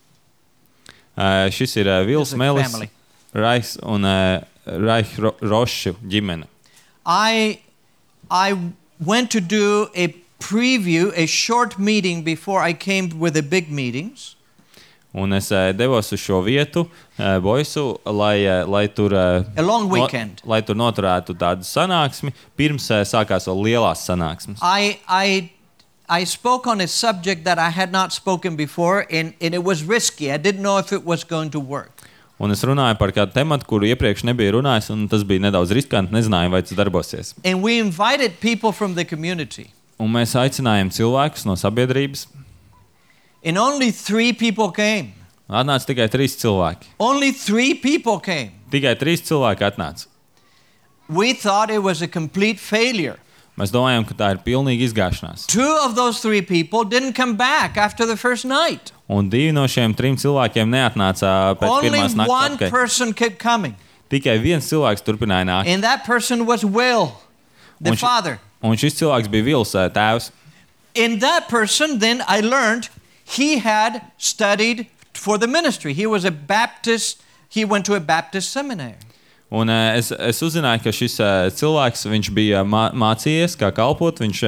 B: Šis ir Vils, Melis, Rais un Rai Rošu ģimene.
A: I went to do a preview, a short meeting before I came with the big meetings.
B: Un es devos uz šo vietu, Boisu, lai tur
A: A long weekend.
B: lai tur noturētu tādu sanāksmi, pirms sākās vēl lielās sanāksmes.
A: I spoke on a subject that I had not spoken before, and it was risky. I didn't know if it was going to work.
B: Un es runāju par kādu tematu, kuru iepriekš nebija runājis, un tas bija nedaudz riskanti, nezināju, vai tas darbosies.
A: And we invited people from the community.
B: Un mēs aicinājām cilvēkus no sabiedrības.
A: And only 3 people came.
B: Atnāca tikai 3 cilvēki.
A: Only 3 people came.
B: Tikai 3 cilvēki atnāca.
A: We thought it was a complete failure.
B: Mēs domājam, ka tā ir pilnīga izgāšanās.
A: 2 of those 3 people didn't come back after the first night.
B: Un 2 no šiem 3 cilvēkiem neatnāca pēc
A: Only
B: pirmās nakts
A: one
B: atpakaļ.
A: person kept coming.
B: Tikai viens cilvēks turpināja nākt.
A: And that person was Will, the father.
B: Un šis cilvēks bija Vils tēvs.
A: In that person, then I learned he had studied for the ministry. He was a Baptist. He went to a Baptist seminary.
B: Un es uzzināju, ka šis cilvēks, viņš bija mācījies, kā kalpot, viņš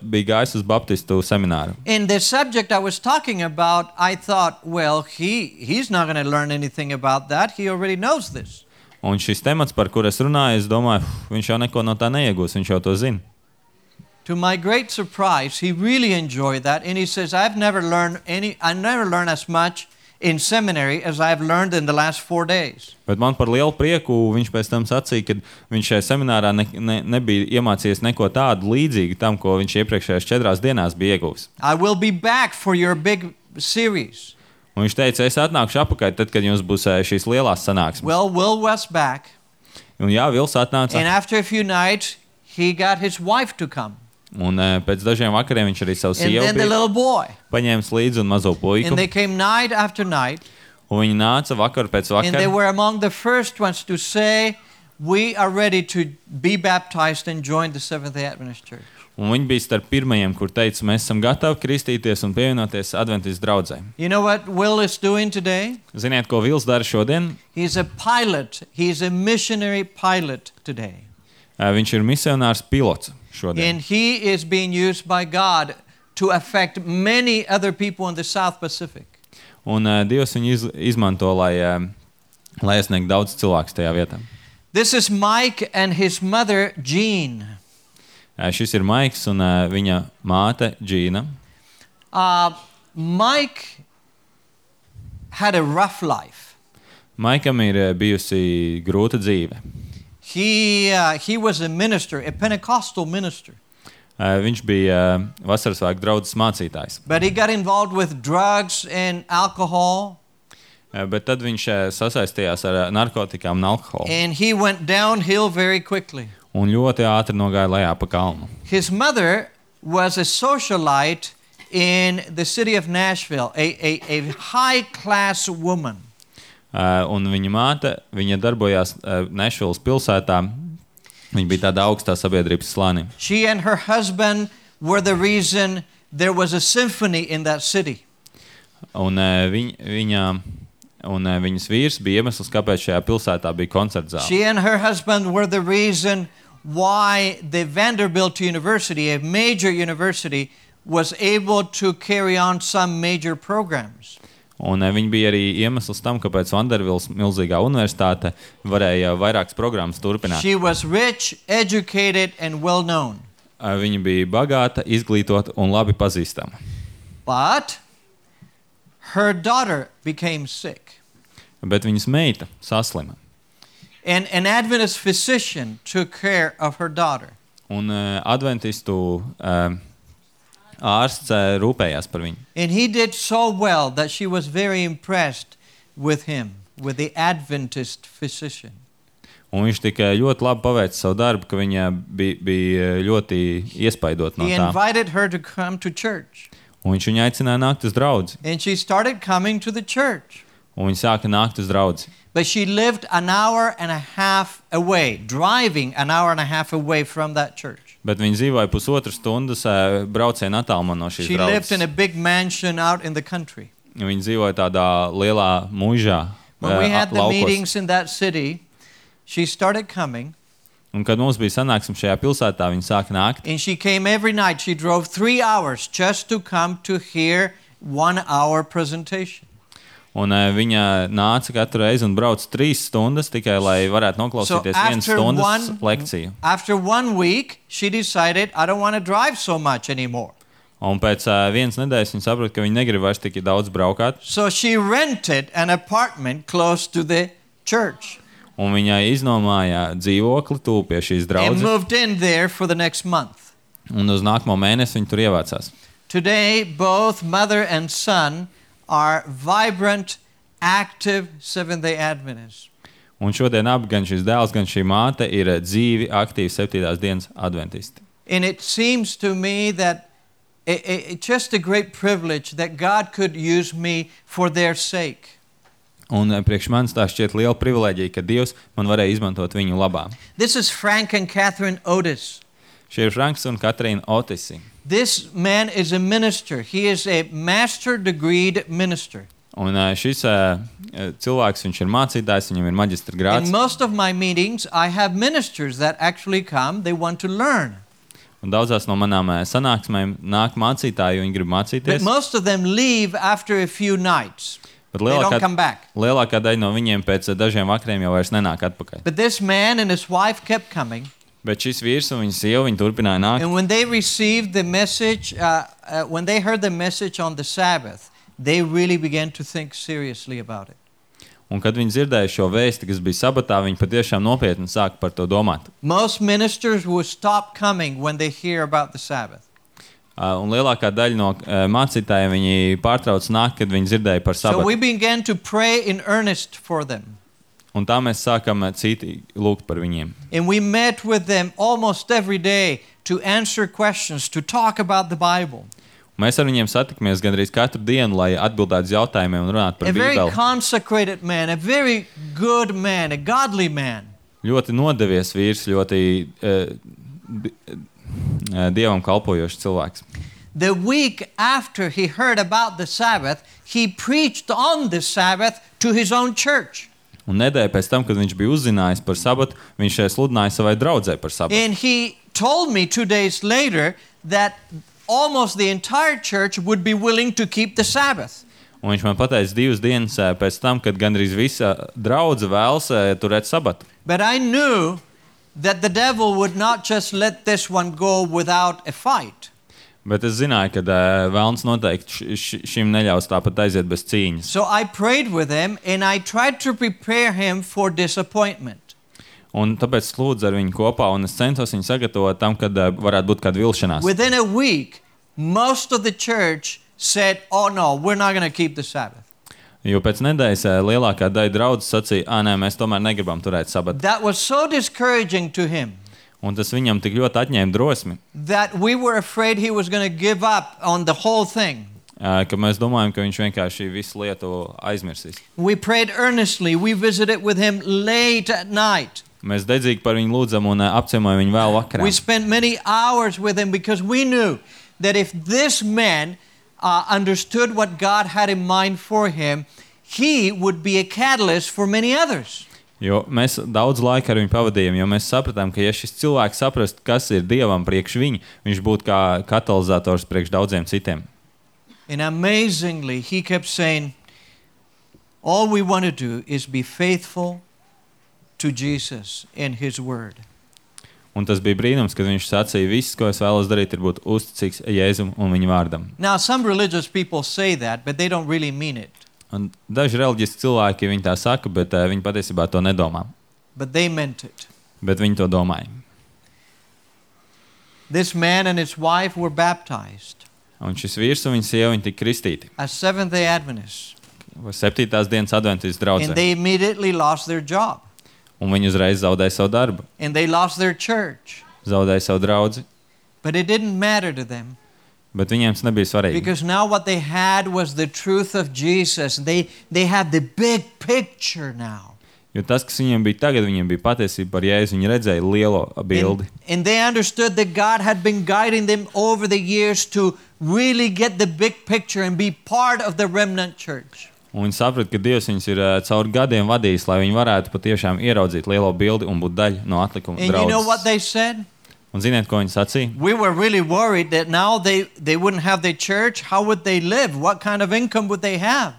B: bija gājis uz Baptistu semināru.
A: In the subject I was talking about, I thought, well, he's not going to learn anything about that. He already knows this.
B: Un šis temats, par kur es runāju, es domāju, viņš jau neko no tā neiegūs, viņš jau to zina.
A: To my great surprise, he really enjoyed that, and he says, I never learned as much in seminary as I've learned in the last 4 days.
B: Bet man par lielu prieku viņš pēc tam sacīja, ka viņš šajā seminārā nebija iemācījies neko tādu līdzīgu tam, ko viņš iepriekšējās 4 dienās bija ieguvis.
A: I will be back for your big series.
B: Un viņš teica, es atnākšu apakaļ, tad, kad jums būs šīs lielās sanāksmes.
A: Well, Will was back.
B: Un jā, Vils atnāca.
A: And after a few nights, he got his wife to come.
B: Un pēc dažiem vakariem viņš arī savu
A: And
B: sievu
A: then the little boy.
B: paņēmis līdzi un mazo puiku.
A: And they came night after night.
B: Un viņi nāca vakaru pēc
A: And they
B: vakara.
A: were among the first ones to say, we are ready to be baptized and join the Seventh-day Adventist Church.
B: Un viņi bija starp pirmajiem, kur teica, mēs esam gatavi kristīties un pievienoties Adventistu draudzē.
A: You know what Will is doing today?
B: Ziniet, ko Vils dara šodien?
A: He's a pilot. He's a missionary pilot today.
B: Viņš ir misionārs pilots šodien.
A: And he is being used by God to affect many other people in the South Pacific.
B: Un Dievs viņu izmanto, lai iesniegtu daudz cilvēku tajā vietā.
A: This is Mike and his mother, Jean.
B: Šis ir Maiks un viņa māte Džīna.
A: Mike had a rough life.
B: Maikam ir bijusi grūta dzīve.
A: He was a minister, a Pentecostal minister.
B: Viņš bija vasarasvētku draudzes mācītājs.
A: But he got involved with drugs and alcohol.
B: Bet tad viņš sasaistījās ar narkotikām un alkoholu.
A: And he went downhill very quickly.
B: Un ļoti ātri nogāja lejā pa kalnu.
A: His mother was a socialite in the city of Nashville, a high-class woman.
B: Un viņa māte, viņa darbojās Nashvilles pilsētā. Viņa bija tāda augstā sabiedrības slānī.
A: She and her husband were the reason there was a symphony in that city.
B: Un viņas vīrs bija iemesls, kāpēc šajā pilsētā bija koncertzāle.
A: She and her husband were the reason why the Vanderbilt University, a major university, was able to carry on some major programs.
B: Un viņi bija arī iemesls tam, kāpēc Vanderbilts milzīgā universitāte varēja vairākas programmas turpināt.
A: She was rich, educated, and well known.
B: Viņa bija bagāta, izglītota un labi pazīstama.
A: But her daughter became sick.
B: Bet viņas meita saslima.
A: And an Adventist physician took care of her daughter.
B: Un adventistu ārsts rūpējās par viņu.
A: And he did so well that she was very impressed with him, with the Adventist physician.
B: Un viņš tikai ļoti labi paveica savu darbu, ka viņa bija ļoti iespaidot no
A: He
B: tā.
A: invited her to come to church.
B: Un viņš viņu aicināja nākt uz draudzi.
A: And she started coming to the church.
B: Un viņa sāka nākt uz draudzi.
A: But she lived an hour and a half away, driving an hour and a half away from that church.
B: Bet viņa dzīvoja 1,5 stundas brauciena attālumā no šīs
A: She lived in
B: draudzes.
A: a big mansion out in the country.
B: Viņa dzīvoja tādā lielā muižā,
A: When we had the
B: laukos.
A: meetings in that city, she started coming.
B: Un kad mums bija sanāksme šajā pilsētā, viņa sāka nākt.
A: And she came every night. She drove 3 hours just to come to hear 1 hour presentation.
B: Un viņa nāca katru reizi un brauca 3 stundas tikai, lai varētu noklausīties 1 stundas lekciju.
A: After 1 week, she decided, I don't want to drive so much anymore.
B: Un pēc 1 nedēļas viņa saprata, ka viņa negrib vairs tik daudz braukāt.
A: So she rented an apartment close to the church
B: Un viņa iznomāja dzīvokli tuvu pie šīs
A: and
B: draudzes.
A: moved in there for the next month.
B: Un uz nākamo mēnesi viņa tur ievācās.
A: Today, both mother and son are vibrant, active Seventh-day Adventists.
B: Un šodien abi, gan šis dēls, gan šī māte, ir dzīvi, aktīvi 7. dienas adventisti.
A: And it seems to me that it's just a great privilege that God could use me for their sake.
B: Un priekš manis tā šķiet liela privilēģija, ka Dievs man varēja izmantot viņu labā.
A: This is Frank and Catherine Otis.
B: Šie ir Franks un Katrīna Otisi.
A: This man is a minister. He is a master degreed minister.
B: Un šis cilvēks, viņš ir mācītājs, viņam ir maģistra
A: In
B: grāds.
A: most of my meetings, I have ministers that actually come. They want to learn.
B: Un daudzās no manām sanāksmēm nāk mācītāji, jo viņi grib
A: But
B: mācīties.
A: most of them leave after a few nights.
B: Bet
A: They don't come back.
B: lielākā daļa no viņiem pēc dažiem vakariem jau vairs nenāk atpakaļ.
A: But this man and his wife kept coming.
B: Bet šis vīrs un viņa sieva, viņi turpināja nākt.
A: And when they received the message, when they heard the message on the Sabbath, they really began to think seriously about it.
B: Un kad viņi dzirdēja šo vēsti, kas bija sabatā, viņi patiešām nopietni sāka par to domāt.
A: Most ministers will stop coming when they hear about the Sabbath.
B: Un lielākā daļa no mācītājiem viņi pārtrauc nākt, kad viņi dzirdēja par
A: So we
B: sabatu.
A: began to pray in earnest for them.
B: Un tā mēs sākam citi lūgt par viņiem.
A: And we met with them almost every day to answer questions, to talk about the Bible.
B: Mēs ar viņiem satikamies gandrīz katru dienu, lai atbildētu uz jautājumiem un runātu
A: A
B: par
A: very
B: Bībeli.
A: consecrated man, a very good man, a godly man.
B: Ļoti nodevies vīrs, ļoti Dievam kalpojošs cilvēks.
A: The week after he heard about the Sabbath, he preached on the Sabbath to his own church.
B: Un nedēļa pēc tam, kad viņš bija uzzinājis par sabatu, viņš sludināja savai draudzē par sabatu.
A: And he told me 2 days later that almost the entire church would be willing to keep the Sabbath.
B: Un viņš man pateica 2 dienas pēc tam, kad gandrīz visa draudze vēlas turēt sabatu.
A: But I knew that the devil would not just let this one go without a fight.
B: Bet es zināju, ka velns noteikti šim neļaus tāpat aiziet bez cīņas.
A: So I prayed with him and I tried to prepare him for disappointment.
B: Un tāpēc es lūdzu ar viņu kopā, un es centos viņu sagatavot tam, kad varētu būt kāda vilšanās.
A: Within a week, most of the church said, oh no, we're not going to keep the Sabbath.
B: Jo pēc nedēļas lielākā daļa draudzes sacīja, nē, mēs tomēr negribam turēt sabatu.
A: That was so discouraging to him
B: Un tas viņam tik ļoti atņēma drosmi,
A: that we were afraid he was going to give up on the whole thing.
B: ka mēs domājam, ka viņš vienkārši visu lietu aizmirsīs.
A: We prayed earnestly. We visited with him late at night.
B: Mēs dedzīgi par viņu lūdzam un apciemojam viņu vēl vakarā.
A: We spent many hours with him because we knew that if this man understood what God had in mind for him, he would be a catalyst for many others.
B: Jo mēs daudz laika ar viņu pavadījām, jo mēs sapratām, ka ja šis cilvēks saprast, kas ir Dievam priekš viņa, viņš būtu kā katalizators priekš daudziem citiem.
A: And amazingly, he kept saying, all we want to do is be faithful to Jesus and his word.
B: Un tas bija brīnums, kad viņš sacīja, viss, ko es vēlos darīt, ir būt uzticīgs Jēzum un viņa vārdam.
A: Now, some religious people say that, but they don't really mean it.
B: Un daži reliģiski cilvēki viņi tā saka, bet viņi patiesībā to nedomā.
A: But they meant it.
B: Bet viņi to domāja.
A: This man and his wife were baptized
B: Un šis vīrs un viņa sieva viņi tika kristīti.
A: as Seventh-day Adventists.
B: 7. dienas adventistu
A: And
B: draudzē.
A: they immediately lost their job.
B: Un viņi uzreiz zaudēja savu darbu,
A: And they lost their church.
B: zaudēja savu draudzi.
A: But it didn't matter to them
B: Bet viņiem tas nebija svarīgi.
A: Because now what they had was the truth of Jesus. They had the big picture now.
B: Jo tas, kas viņiem bija tagad, viņiem bija patiesība par Jēzu. Viņi redzēja lielo bildi.
A: And they understood that God had been guiding them over the years to really get the big picture and be part of the remnant church.
B: Un viņi saprata, ka Dievs viņus ir caur gadiem vadījis, lai viņi varētu patiešām ieraudzīt lielo bildi un būt daļa no atlikuma
A: And
B: draudzes.
A: you know what they said?
B: Un ziniet, ko viņi sacīja?
A: We were really worried that now they wouldn't have their church. How would they live? What kind of income would they have?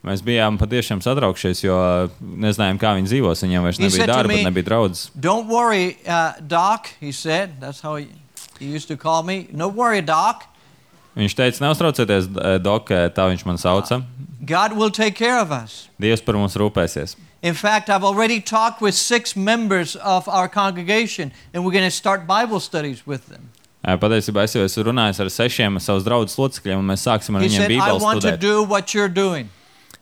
B: Mēs bijām patiešām satraukšies, jo nezinājām, kā viņi dzīvos. Viņiem vairs nebija darba, nebija draudzes.
A: Don't worry, Doc, he said. That's how he used to call me. No worry, Doc.
B: Viņš teica, neuztraucieties, Dok, tā viņš man sauca.
A: God will take care of us.
B: Dievs par mums rūpēsies.
A: In fact, I've already talked with 6 members of our congregation, and we're going to start Bible studies with them.
B: Patiesībā es jau esmu runājis ar 6 savus draugus locekļiem, un mēs sāksim ar
A: He
B: viņiem
A: said, I
B: Bībeles
A: want to
B: studēt.
A: do what you're doing.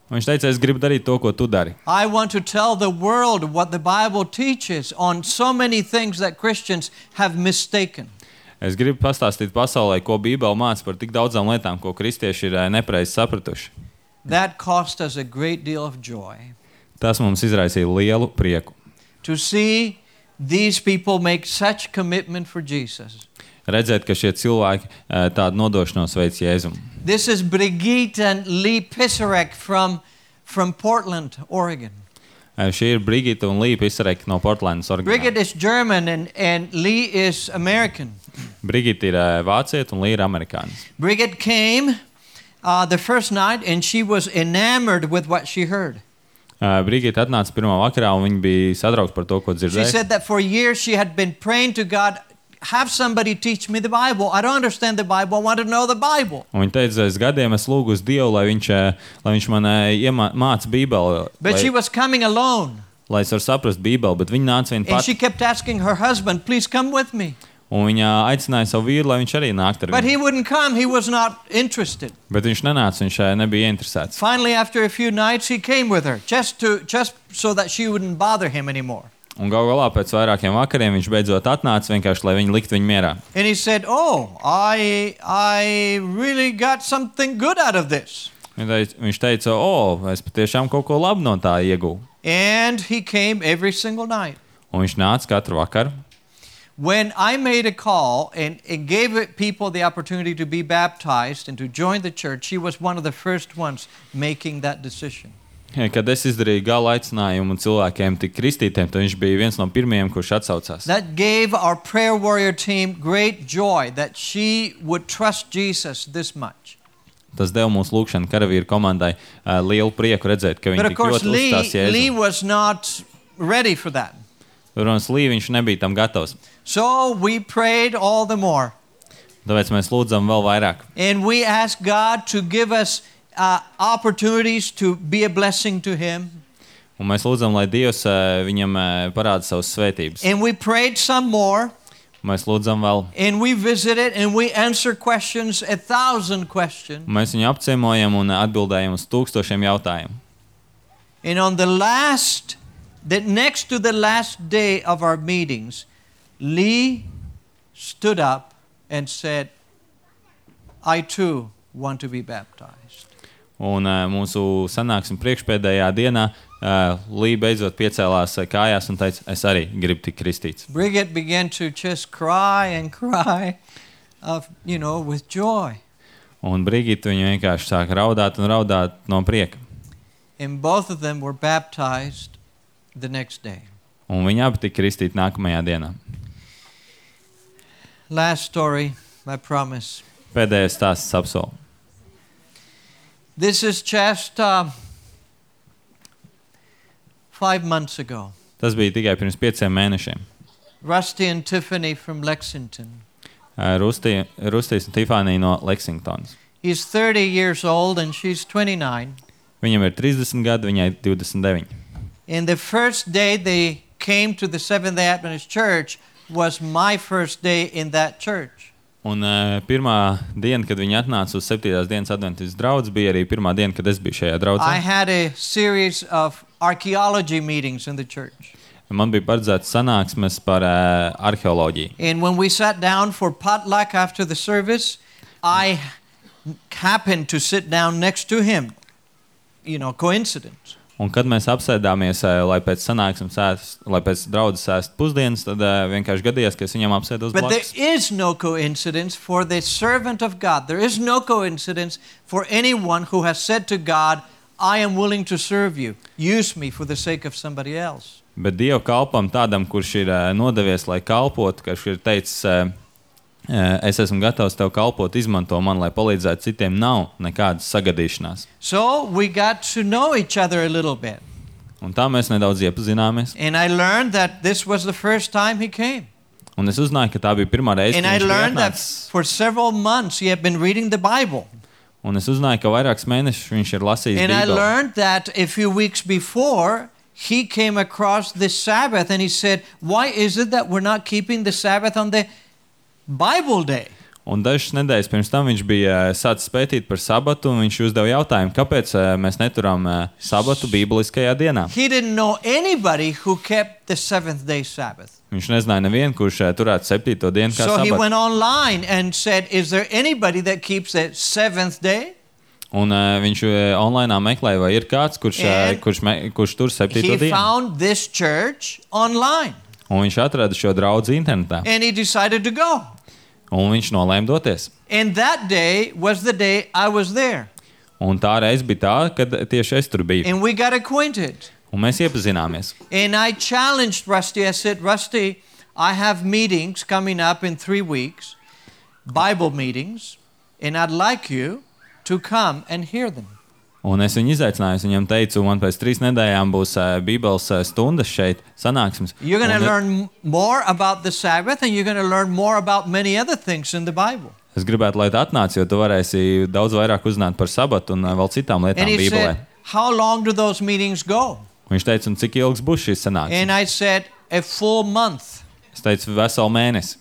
B: Un viņš teica, es gribu darīt to, ko tu dari.
A: I want to tell the world what the Bible teaches on so many things that Christians have mistaken.
B: Es gribu pastāstīt pasaulē, ko Bībele māca par tik daudzām lietām, ko kristieši ir nepareizi sapratuši.
A: That cost us a great deal of joy.
B: Tas mums izraisīja lielu prieku.
A: To see these people make such commitment for Jesus.
B: Redzēt, ka šie cilvēki tādu nodošanos veic Jēzum.
A: This is Brigitte and Lee Pisarek from Portland, Oregon.
B: Šī ir Brigitte un Lee Pisarek no Portlandas, Oregonā.
A: Brigitte is German and Lee is American.
B: Brigitte ir vāciete un Lee ir amerikānis.
A: Brigitte came the first night and she was enamored with what she heard.
B: Brigitte atnāca pirmā vakarā un viņa bija satraukta par to, ko
A: She
B: dzirdēja.
A: said that for years she had been praying to God, have somebody teach me the Bible. I don't understand the Bible. I want to know the Bible.
B: Un viņa teica, es gadiem esmu lūgusi Dievu, lai viņš man māca Bībeli,
A: But she was coming alone.
B: lai es varu saprast Bībeli, bet viņa nāca viena
A: And she
B: pati.
A: kept asking her husband, please come with me.
B: Un viņa aicināja savu vīru, lai viņš arī nāktu ar
A: But he
B: viņu.
A: wouldn't come. He was not interested.
B: Bet viņš nenāca, viņš nebija interesēts.
A: Finally, after a few nights, he came with her just so that she wouldn't bother him anymore.
B: Un galu galā pēc vairākiem vakariem viņš beidzot atnāca vienkārši, lai viņi liktu viņu mierā.
A: And he said, oh, I really got something good out of this.
B: Viņš teica, es patiešām kaut ko labu no tā ieguvu.
A: And he came every single night.
B: Un viņš nāca katru vakaru.
A: When I made a call and gave people the opportunity to be baptized and to join the church, she was one of the first ones making that decision.
B: Kad es izdarīju gala aicinājumu cilvēkiem tik kristītiem, tad viņš bija viens no pirmajiem, kurš atsaucās.
A: That gave our prayer warrior team great joy that she would trust Jesus this much.
B: Tas deva mūsu lūgšanu karavīru komandai lielu prieku redzēt, ka
A: But
B: viņi
A: of
B: tik
A: course,
B: ļoti uzstās
A: Lee
B: Jēzu.
A: was not ready for that.
B: Protams, Lī viņš nebija tam gatavs.
A: So we prayed all the more.
B: Tāpēc mēs lūdzam vēl vairāk.
A: And we asked God to give us opportunities to be a blessing to him.
B: Un mēs lūdzam, lai Dievs viņam parāda savas svētības.
A: And we prayed some more.
B: Mēs lūdzam vēl.
A: And we visited and we answered questions, 1,000 questions.
B: Mēs viņu apciemojam un atbildējam uz 1000 jautājumu.
A: And on next to the last day of our meetings, Lee stood up and said, I too want to be baptized.
B: Un mūsu sanāksme priekšpēdējā dienā Lī beidzot piecēlās kājās un teica, es arī gribu tikt kristīts.
A: Brigitte began to just cry and cry with joy.
B: Un Brigitte viņa vienkārši sāka raudāt un raudāt no prieka.
A: And both of them were baptized the next day.
B: Un viņi abi tika kristīti nākamajā dienā.
A: Last story, I promise.
B: Pēdējais stāsts apsolu.
A: This is just 5 months ago.
B: Tas bija tikai pirms 5 mēnešiem.
A: Rusty and Tiffany from Lexington.
B: Rustīs un Tifānija no Lexingtonas.
A: He's 30 years old and she's 29.
B: Viņam ir 30 gadi, viņai 29.
A: And the first day they came to the Seventh-day Adventist Church was my first day in that church.
B: Un pirmā diena, kad viņi atnāca uz 7. dienas adventistas draudzi, bija arī pirmā diena, kad es biju šajā draudzē.
A: I had a series of archaeology meetings in the church.
B: Man bija paredzēts sanāksmes par arheoloģiju.
A: And when we sat down for potluck after the service, I happened to sit down next to him. Coincidence.
B: Un kad mēs apsēdāmies, lai pēc sanāksmes lai pēc draudzes ēst pusdienas, tad vienkārši gadījās, ka es viņam apsēdos
A: But
B: blakus.
A: there is no coincidence for the servant of God. There is no coincidence for anyone who has said to God, I am willing to serve you. Use me for the sake of somebody else.
B: Bet Dieva kalpam tādam, kurš ir nodevies, lai kalpotu, kurš ir teicis, es esmu gatavs tev kalpot, izmanto man, lai palīdzētu citiem, nav nekādas sagadīšanās.
A: So we got to know each other a little bit.
B: Un tā mēs nedaudz iepazināmies.
A: And I learned that this was the first time he came.
B: Un es uzzināju, ka tā bija pirmā reize,
A: And
B: kad
A: I
B: viņš bija
A: learned that
B: atnācis.
A: for several months he had been reading the Bible.
B: Un es uzzināju, ka vairākus mēnešus viņš ir lasījis
A: And I
B: Bībeli.
A: learned that a few weeks before he came across this Sabbath and he said, why is it that we're not keeping the Sabbath on the Bible day?
B: Un dažas nedēļas pirms tam viņš bija sācis pētīt par sabatu, un viņš uzdeva jautājumu, kāpēc mēs neturam sabatu bībeliskajā dienā.
A: He didn't know anybody who kept the seventh day Sabbath.
B: Viņš nezināja nevienu, kurš turētu 7. dienu kā
A: So he
B: sabatu.
A: went online and said, is there anybody that keeps the seventh day?
B: Un viņš online meklēja, vai ir kāds,
A: And
B: kurš tur 7.
A: He
B: dienu.
A: found this church online
B: Un viņš atrada šo draudzi internetā.
A: and he decided to go.
B: Un viņš nolēma doties.
A: And that day was the day I was there.
B: Un tā reize bija tā, kad tieši es tur biju.
A: And we got acquainted.
B: Un mēs iepazināmies.
A: And I challenged Rusty. I said, Rusty, I have meetings coming up in 3 weeks, Bible meetings, and I'd like you to come and hear them.
B: Un es viņu izaicināju, es viņam teicu, man pēc 3 nedēļām būs Bībeles stundas šeit, sanāksmes.
A: You're going to
B: Un
A: learn more about the Sabbath, and you're going to learn more about many other things in the Bible.
B: es gribētu, lai tu atnāc, jo tu varēsi daudz vairāk uzzināt par sabatu un vēl citām lietām
A: And he
B: Bībelē.
A: said, how long do those meetings go?
B: Un viņš teica, un cik ilgs būs šīs sanāksmes?
A: And I said, a full month.
B: Es teicu, veselu mēnesi.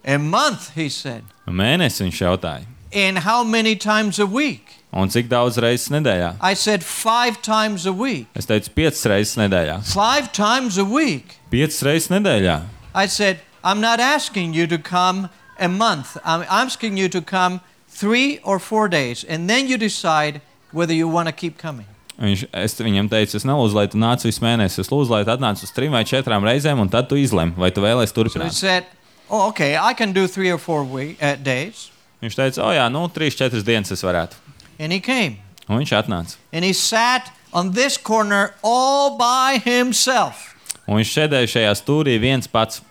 A: A month, he said.
B: Un mēnesi viņš jautāja.
A: And how many times a week?
B: Un cik daudz reizes nedēļā?
A: I said 5 times a week.
B: Es teicu, 5 reizes nedēļā.
A: 5 times a week.
B: 5 reizes nedēļā.
A: I said, I'm not asking you to come a month. I'm asking you to come 3 or 4 days, and then you decide whether you want to keep coming.
B: Es viņam teicu, es nelūdzu, lai tu nāc visu mēnesi. Es lūdzu, lai tu atnāc uz 3 vai 4 reizēm, un tad tu izlem, vai tu vēlēsi
A: So he
B: turpināt.
A: said, oh, okay, I can do 3 or 4 days.
B: Viņš teica, o jā, 3-4 dienas es varētu.
A: And he came.
B: Un viņš atnāca.
A: And he sat on this corner all by himself.
B: Un viņš sēdēja šajā stūrī viens pats.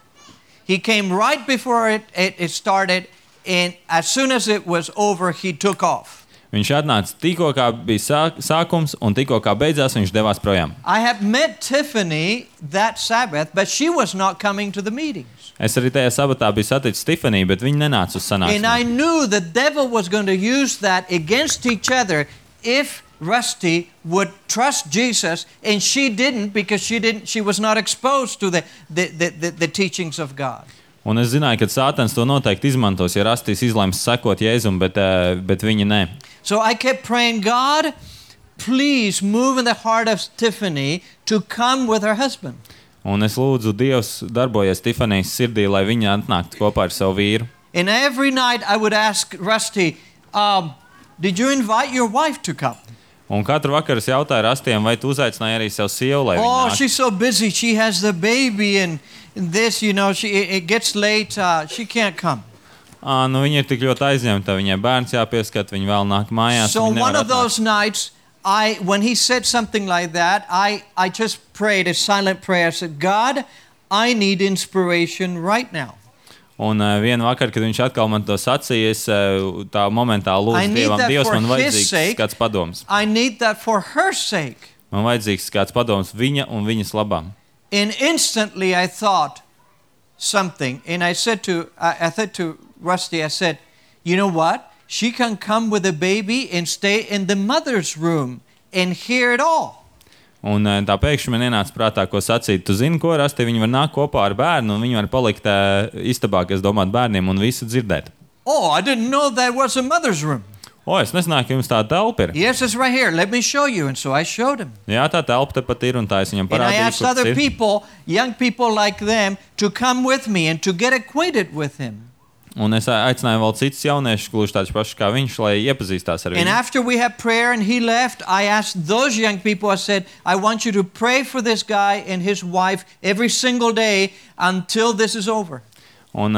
A: He came right before it started, and as soon as it was over, he took off.
B: Viņš atnāca tikko kā bija sākums, un tikko kā beidzās, viņš devās projām.
A: I had met Tiffany that Sabbath, but she was not coming to the meetings.
B: Es arī tajā sabatā biju saticis Tifaniju, bet viņa nenāca uz
A: And I
B: sanāksmi.
A: knew the devil was going to use that against each other if Rusty would trust Jesus, and she didn't because she was not exposed to the teachings of God.
B: Un es zināju, ka Sātans to noteikti izmantos, ja Rastīs izlems sekot Jēzum, bet viņa ne.
A: So I kept praying, God, please move in the heart of Tiffany to come with her husband.
B: Un es lūdzu, Dievs darbojies Tifanijas sirdī, lai viņa atnāktu kopā ar savu vīru.
A: And every night I would ask Rusty, did you invite your wife to come?
B: Un katru vakaru es jautāju Rastiem, vai tu uzaicināji arī savu sievu, lai viņa
A: Oh,
B: nāk?
A: she's so busy. She has the baby and this, it gets late. She can't come.
B: Viņa ir tik ļoti aizņemta, viņai bērns jāpieskat, viņa vēl nāk mājās.
A: So
B: un viņa
A: one
B: nevar
A: of those nights, when he said something like that, I just prayed a silent prayer. I said, God, I need inspiration right now.
B: Un vienu vakaru, kad viņš atkal man to sacīja, es tā momentā
A: I
B: lūdzu
A: need
B: Dievam,
A: that
B: Dievs,
A: for
B: man
A: his
B: vajadzīgs
A: sake.
B: kāds padoms.
A: I need that for her sake.
B: Man vajadzīgs kāds padoms viņa un viņas labām.
A: And instantly I thought something. And I said to Rusty, I said, you know what? She can come with a baby and stay in the mother's room and hear it all.
B: Un tā pēkšņi man ienāca prātā, ko sacīt. Tu zini, ko Rasti, viņi var nākt kopā ar bērnu, un viņi var palikt istabā, kas domāt bērniem, un visu dzirdēt.
A: Oh, I didn't know there was a mother's room.
B: Es nezināju, ka jums tāda telpa ir.
A: Yes, it's right here. Let me show you. And so I showed him.
B: Jā, tā telpa tepat ir, un tā es viņam
A: And I
B: parādīju,
A: asked
B: kur tas
A: other
B: ir.
A: people, young people like them, to come with me and to get acquainted with him.
B: Un es aicināju vēl citus jauniešus, gluži tādus pašus kā viņš, lai iepazīstās ar
A: And
B: viņu.
A: after we had prayer and he left, I asked those young people, I said, I want you to pray for this guy and his wife every single day until this is over.
B: Un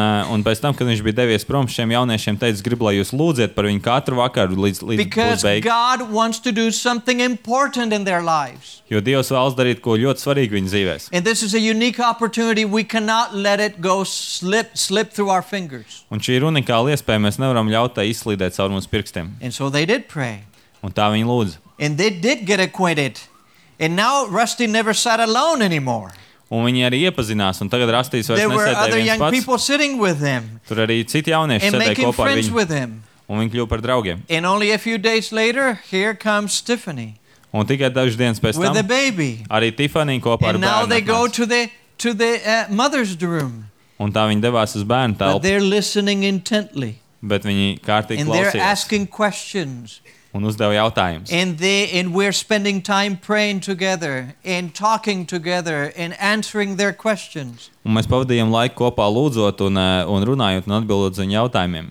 B: pēc tam, kad viņš bija devies prom, šiem jauniešiem teica, gribu, lai jūs lūdziet par viņu katru vakaru līdz
A: Because
B: būs beigas.
A: God wants to do something important in their lives.
B: Jo Dievs vēlas darīt ko ļoti svarīgu viņu dzīvēs.
A: And this is a unique opportunity. We cannot let it go slip through our fingers.
B: Un šī ir unikāla iespēja, mēs nevaram ļaut tai izslīdēt caur mūsu pirkstiem.
A: And so they did pray.
B: Un tā viņi lūdza.
A: And they did get acquainted. And now Rusty never sat alone anymore.
B: Un viņi arī iepazinās, un tagad Rastīs vairs
A: There were
B: nesēdēja
A: other
B: viens
A: young
B: pats.
A: people sitting with him
B: Tur arī citi jaunieši
A: and
B: sēdēja
A: making
B: kopā ar
A: friends
B: viņu,
A: with him.
B: un viņi kļuva par draugiem.
A: And only a few days later, here comes Tiffany
B: Un tikai dažas dienas pēc
A: with the
B: tam
A: baby.
B: arī Tifanija kopā ar
A: And now
B: bērnu
A: they go
B: atnāca.
A: to the mother's room.
B: Un tā viņi devās uz bērnu
A: But
B: telpu,
A: they're listening intently.
B: bet viņi kārtīgi
A: And they're
B: klausījās
A: asking questions.
B: un uzdeva jautājumus.
A: And we're spending time praying together and talking together and answering their questions.
B: Un mēs pavadījām laiku kopā lūdzot un runājot un atbildot uz viņu jautājumiem.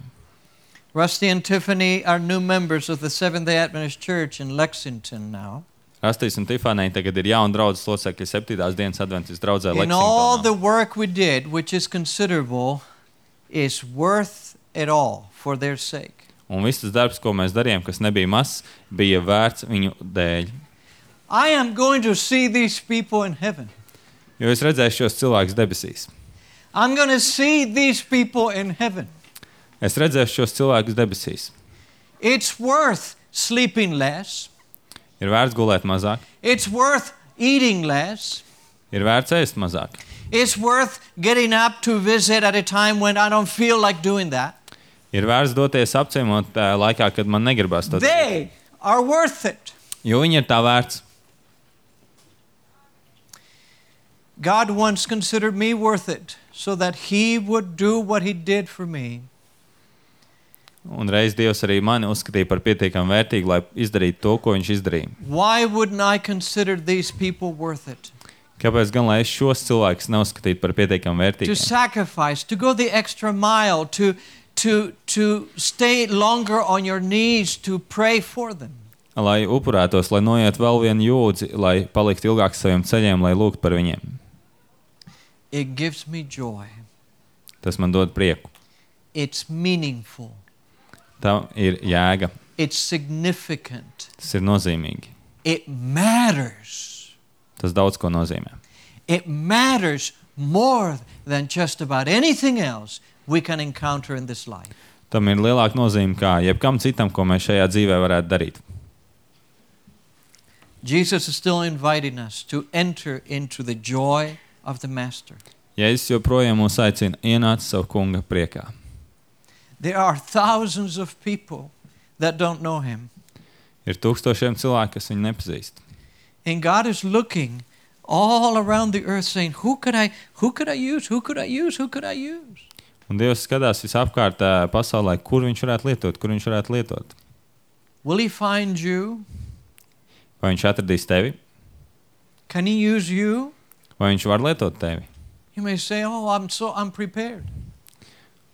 A: Rusty and Tiffany are new members of the Seventh-day Adventist Church in Lexington now.
B: Rastīs un Tifanija tagad ir jauni draudzes locekļi 7. dienas Adventistu draudzē
A: And all the
B: Lexingtonā.
A: work we did, which is considerable, is worth it all for their sake.
B: Un viss tas darbs, ko mēs darījām, kas nebija mazs, bija vērts viņu dēļ.
A: I am going to see these people in heaven.
B: Jo es redzēju šos cilvēkus debesīs.
A: I'm going to see these people in heaven.
B: Es redzēju šos cilvēkus debesīs.
A: It's worth sleeping less.
B: Ir vērts gulēt mazāk,
A: It's worth eating less.
B: ir vērts ēst mazāk.
A: It's worth getting up to visit at a time when I don't feel like doing that.
B: Ir vērts doties apciemot laikā, kad man negribas to darīt.
A: They are worth it.
B: Jo viņi ir tā vērts.
A: God once considered me worth it so that He would do what He did for me.
B: Un reiz Dievs arī mani uzskatīja par pietiekami vērtīgu, lai izdarītu to, ko viņš izdarīja.
A: Why wouldn't I consider these people worth it?
B: Kāpēc gan, lai es šos cilvēkus neuzskatītu par pietiekami
A: To
B: vērtīgiem?
A: sacrifice, to go the extra mile, to stay longer on your knees, to pray for them.
B: Lai upurētos, lai noiet vēl vienu jūdzi, lai paliktu ilgāk saviem ceļiem, lai lūgtu par viņiem.
A: It gives me joy.
B: Tas man dod prieku.
A: It's meaningful.
B: Tā ir jēga.
A: It's significant.
B: Tas ir nozīmīgi.
A: It matters.
B: Tas daudz ko nozīmē.
A: It matters more than just about anything else we can encounter in this life.
B: Tam ir lielāka nozīme kā jebkam citam, ko mēs šajā dzīvē varētu darīt.
A: Jesus is still inviting us to enter into the joy of the Master.
B: Jēzus joprojām mūs aicina ienākt savu kunga priekā.
A: There are thousands of people that don't know Him.
B: Ir tūkstošiem cilvēku, kas viņu nepazīst.
A: And God is looking all around the earth saying, who could I use? Who could I use? Who could I use?
B: Un Dievs skatās visapkārt pasaulē, kur viņš varētu lietot.
A: Will He find you?
B: Vai viņš atradīs tevi?
A: Can He use you?
B: Vai viņš var lietot tevi?
A: You may say, oh, I'm prepared.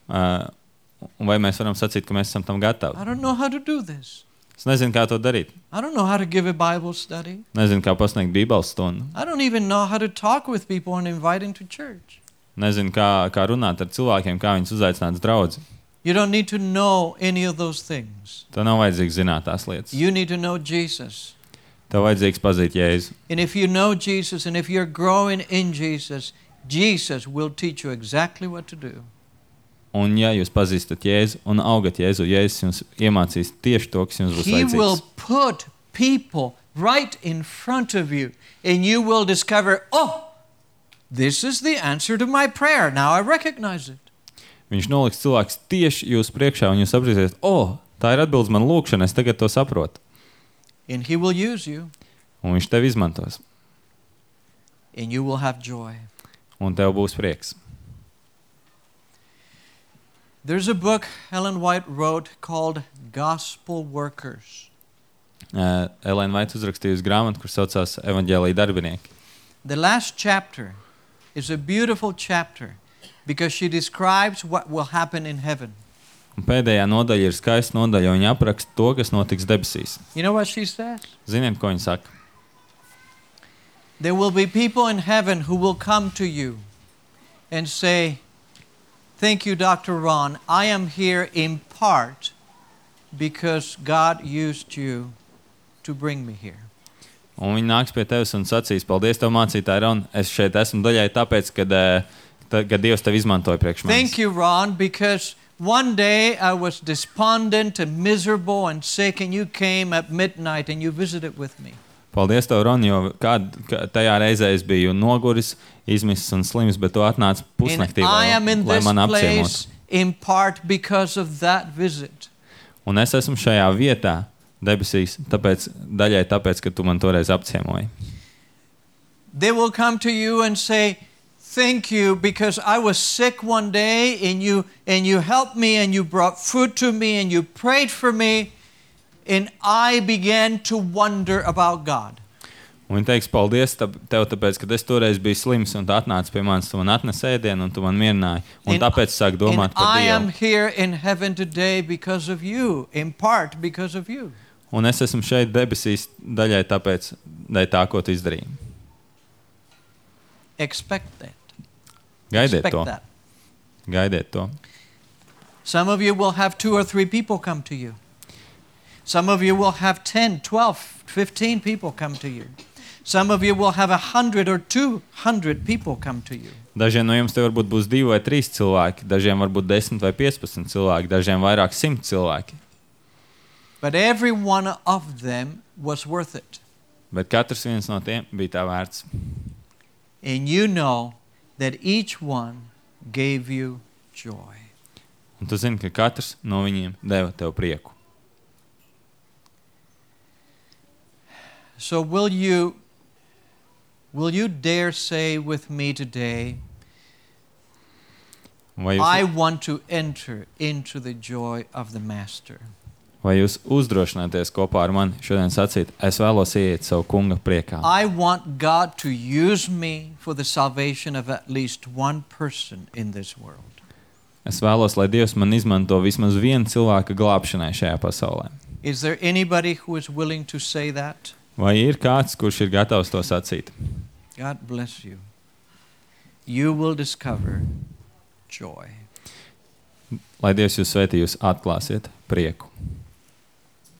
B: Un vai mēs varam sacīt, ka mēs esam tam gatavi?
A: I don't know how to do this.
B: Es nezinu, kā to darīt.
A: I don't know how to give a Bible study.
B: Nezinu, kā pasniegt bībeles stundu.
A: I don't even know how to talk with people and invite them to church.
B: Nezinu, kā runāt ar cilvēkiem, kā viņus uzaicināt uz draudzi.
A: You don't need to know any of those things.
B: Tev nav vajadzīgs zināt tās lietas.
A: You need to know Jesus.
B: Tev vajadzīgs pazīt Jēzu.
A: And if you know Jesus and if you're growing in Jesus, Jesus will teach you exactly what to do.
B: Un ja jūs pazīstat Jēzu un augat Jēzu, Jēzus jums iemācīs tieši to, kas jums būs
A: He will
B: vajadzīgs.
A: put people right in front of you and you will discover, oh, this is the answer to my prayer. Now I recognize it.
B: Viņš noliks cilvēks tieši jūs priekšā un jūs sapratīsiet, tā ir atbildes man lūkšana, es tagad to saprotu.
A: And He will use you
B: Un viņš tevi izmantos.
A: and you will have joy.
B: Un tev būs prieks.
A: There's a book Ellen White wrote called Gospel Workers.
B: Elēna Vaits uzrakstījusi grāmatu, kur saucās Evaņģēlija darbinieki.
A: The last chapter is a beautiful chapter because she describes what will happen in heaven.
B: Un pēdējā nodaļa ir skaista nodaļa, jo viņa apraksta to, kas notiks debesīs.
A: You know what she says?
B: Ziniet, ko viņa saka?
A: There will be people in heaven who will come to you and say, "Thank you, Dr. Ron. I am here in part because God used you to bring me here."
B: Un viņi nāks pie tevis un sacīs, paldies tev, mācītāji Ron, es šeit esmu daļai tāpēc, kad Dievs tevi izmantoja priekš manis.
A: Thank you, Ron, because one day I was despondent and miserable and sick, and you came at midnight and you visited with me.
B: Paldies tev, Ron, jo tajā reizē es biju noguris, izmisis un slims, bet tu atnāc pusnaktī,
A: And I am in
B: lai
A: this
B: man apciemotu.
A: place in part because of that visit.
B: Un es esmu šajā vietā, debesīs, daļai tāpēc, ka tu man toreiz apciemoji.
A: They will come to you and say, "Thank you, because I was sick one day and you helped me and you brought food to me and you prayed for me, and I began to wonder about God."
B: Un viņi teiks, paldies tev, tāpēc, ka es toreiz biju slims un tu atnāci pie manis, tu man atnesi ēdienu un tu man mierināji. Un tāpēc es sāku domāt par
A: I am
B: Dievu.
A: here in heaven today because of you, in part because of you.
B: Un es esmu šeit debesīs daļai tāpēc, tā, ko tu izdarīji.
A: Expect that.
B: Gaidiet
A: Expect
B: to.
A: that.
B: Gaidiet to.
A: Some of you will have 2 or 3 people come to you. Some of you will have 10, 12, 15 people come to you. Some of you will have 100 or 200 people come to you.
B: Dažiem no jums te varbūt būs 2 vai 3 cilvēki, dažiem varbūt 10 vai 15 cilvēki, dažiem vairāk 100 cilvēki.
A: But every one of them was worth it.
B: Bet katrs viens no tiem bija tā vērts.
A: And you know that each one gave you joy.
B: Un tu zini, ka katrs no viņiem deva tev prieku.
A: So will you dare say with me today, I want to enter into the joy of the Master?
B: Vai jūs uzdrošināties kopā ar mani šodien sacīt, es vēlos ieiet savu kunga priekā?
A: I want God to use me for the salvation of at least one person in this world.
B: Es vēlos, lai Dievs man izmanto vismaz vienu cilvēka glābšanai šajā pasaulē.
A: Is there anybody who is willing to say that?
B: Vai ir kāds, kurš ir gatavs to sacīt?
A: God bless you. You will discover joy.
B: Lai Dievs jūs svētī, jūs atklāsiet prieku.